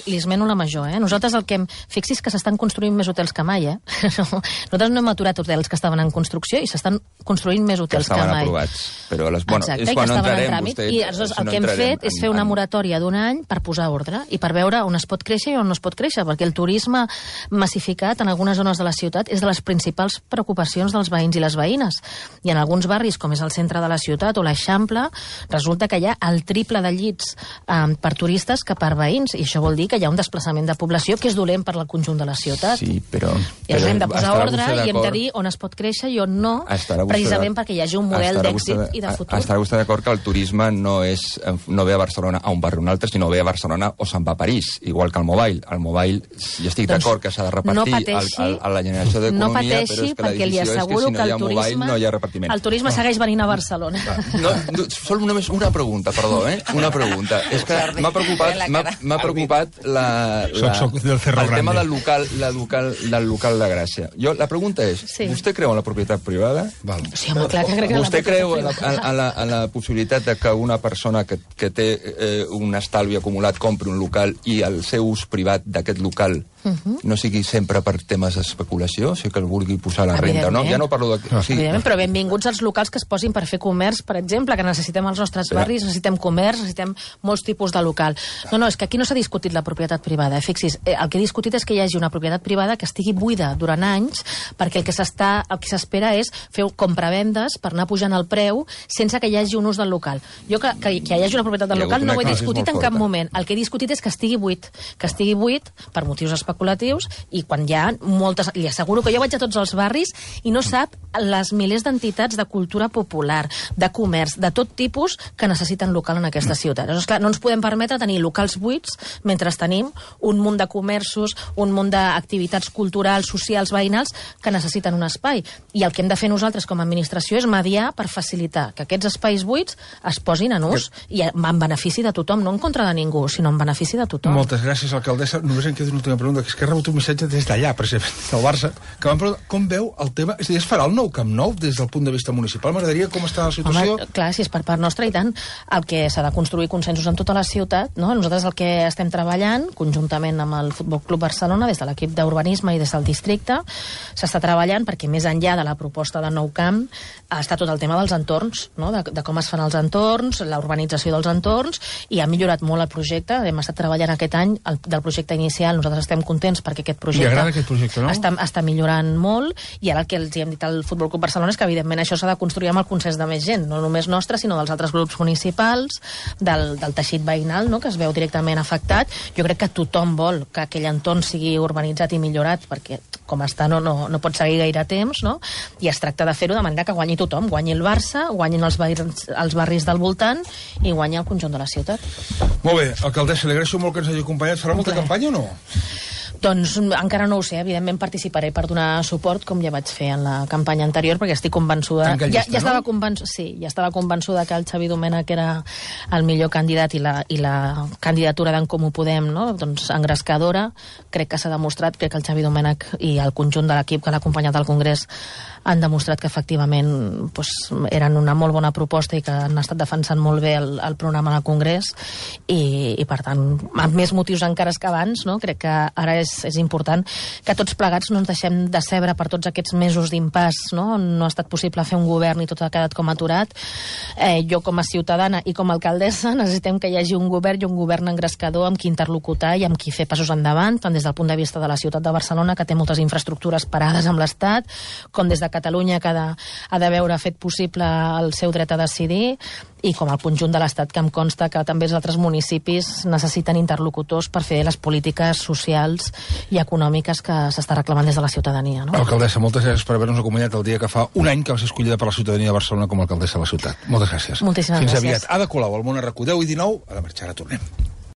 Li esmeno la major, Nosaltres el que fixis que s'estan construint més hotels que mai, Nosaltres no hem aturat hotels que estaven en construcció i s'estan construint més hotels que mai. Que estaven aprovats. Però exacte, i que estaven en tràmit. I el que hem fet és fer una moratòria d'un any per posar ordre i per veure on es pot créixer i on no es pot créixer, perquè el turisme massificat en algunes zones de la ciutat és de les principals preocupacions dels veïns i les veïnes. I en alguns barris, com és el centre de la ciutat o l'Eixample, resulta que hi ha el triple de llits per turistes que per veïns, i això vol dir que hi ha un desplaçament de població que és dolent per al conjunt de la ciutat. Sí, però I hem de posar ordre i hem de dir on es pot créixer i on no, precisament perquè hi hagi un model d'èxit i de futur. Estarà vostè d'acord que el turisme no ve a Barcelona a un barri o un altre, sinó ve a Barcelona o se'n va a París, igual que el Mobile. El Mobile, jo estic d'acord que s'ha de repartir a la generació d'economia, però és que la decisió és que si no hi ha mobile no hi ha repartiment. El turisme segueix venint a Barcelona. Sol només una pregunta, perdó, Una pregunta. És que m'ha preocupat el tema del local de Gràcia. La pregunta és, vostè creu en la propietat privada? Sí, home, clar que crec en la vostè creu en la possibilitat de que una persona que té un estalvi acumulat compri un local i el seu ús privat d'aquest local no sigui sempre per temes d'especulació, si que el vulgui posar a la renda, no? Ja no parlo de... Evidentment, però benvinguts als locals que es posin per fer comerç, per exemple, que necessitem als nostres barris, necessitem comerç, necessitem molts tipus de local. No, és que aquí no s'ha discutit la propietat privada. Fixis, el que he discutit és que hi hagi una propietat privada que estigui buida durant anys, perquè el que s'espera és fer compravendes per anar pujant el preu sense que hi hagi un ús del local. Jo que hi hagi una propietat del local no ho he discutit en cap moment. El que he discutit és que estigui buit per motius especulatius, i quan hi ha moltes... Li asseguro que jo vaig a tots els barris i no sap les milers d'entitats de cultura popular, de comerç, de tot tipus que necessiten local en aquesta ciutat. Llavors, clar, no ens podem permetre tenir locals buits mentre tenim un munt de comerços, un munt d'activitats culturals, socials, veïnals que necessiten un espai. I el que hem de fer nosaltres com a administració és mediar per facilitar que aquests espais buits es posin en ús i en benefici de tothom, no en contra de ningú, sinó en benefici de tothom. Moltes gràcies, alcaldessa. Només em queda una última pregunta, que és que he rebut un missatge des d'allà, precisament, del Barça, que van preguntar com veu el tema... És a dir, es farà el nou Camp Nou des del punt de vista municipal? M'agradaria com està la situació. Home, clar, si és per part nostra, i tant, el que s'ha de construir consensos en tota la ciutat, no? Nosaltres el que estem treballant, conjuntament amb el Futbol Club Barcelona, des de l'equip d'urbanisme i des del districte, s'està treballant perquè més enllà de la proposta de nou camp està tot el tema dels entorns, no? de com es fan els entorns, la urbanització dels entorns, i ha millorat molt el projecte. Hem estat treballant aquest any del projecte inicial. Nosaltres estem contents perquè aquest projecte... Li agrada aquest projecte, no? Està millorant molt, i ara el que els hem dit al Futbol Club Barcelona és que, evidentment, això s'ha de construir amb el consens de més gent, no només nostre, sinó dels altres grups municipals, del teixit veïnal, no?, que es veu directament afectat. Jo crec que tothom vol que aquell entorn sigui urbanitzat i millorat, perquè com està no pot seguir gaire temps, no? I es tracta de fer-ho de manera que guanyi tothom, guanyi el Barça, guanyin els barris del voltant i guanyi el conjunt de la ciutat. Molt bé, alcaldessa, li agraeixo molt que ens hagi acompanyat. Farà molta campanya o no? Doncs encara no ho sé, evidentment participaré per donar suport, com ja vaig fer en la campanya anterior, perquè estic convençuda... Ja estava convençuda que el Xavi Domènech era el millor candidat, i la candidatura d'en Comú Podem, no?, doncs engrescadora. Crec que s'ha demostrat, crec que el Xavi Domènech i el conjunt de l'equip que l'ha acompanyat al Congrés han demostrat que efectivament eren una molt bona proposta i que han estat defensant molt bé el programa del Congrés, i per tant, amb més motius encara que abans, no? Crec que ara és important que tots plegats no ens deixem de cebre per tots aquests mesos d'impàs, no? On no ha estat possible fer un govern i tot ha quedat com aturat. Jo, com a ciutadana i com a alcaldessa, necessitem que hi hagi un govern, i un govern engrescador amb qui interlocutar i amb qui fer passos endavant, tant des del punt de vista de la ciutat de Barcelona, que té moltes infraestructures parades amb l'Estat, com des de Catalunya, que ha de veure fet possible el seu dret a decidir, i com el conjunt de l'Estat, que em consta que també els altres municipis necessiten interlocutors per fer les polítiques socials i econòmiques que s'està reclamant des de la ciutadania, no? Alcaldessa, moltes gràcies per haver-nos acompanyat el dia que fa un any que va ser escollida per la ciutadania de Barcelona com a alcaldessa de la ciutat. Moltes gràcies. Moltíssimes gràcies. Fins aviat. Ada Colau, al Món RQ 10 i 19, a la marxa, ara tornem.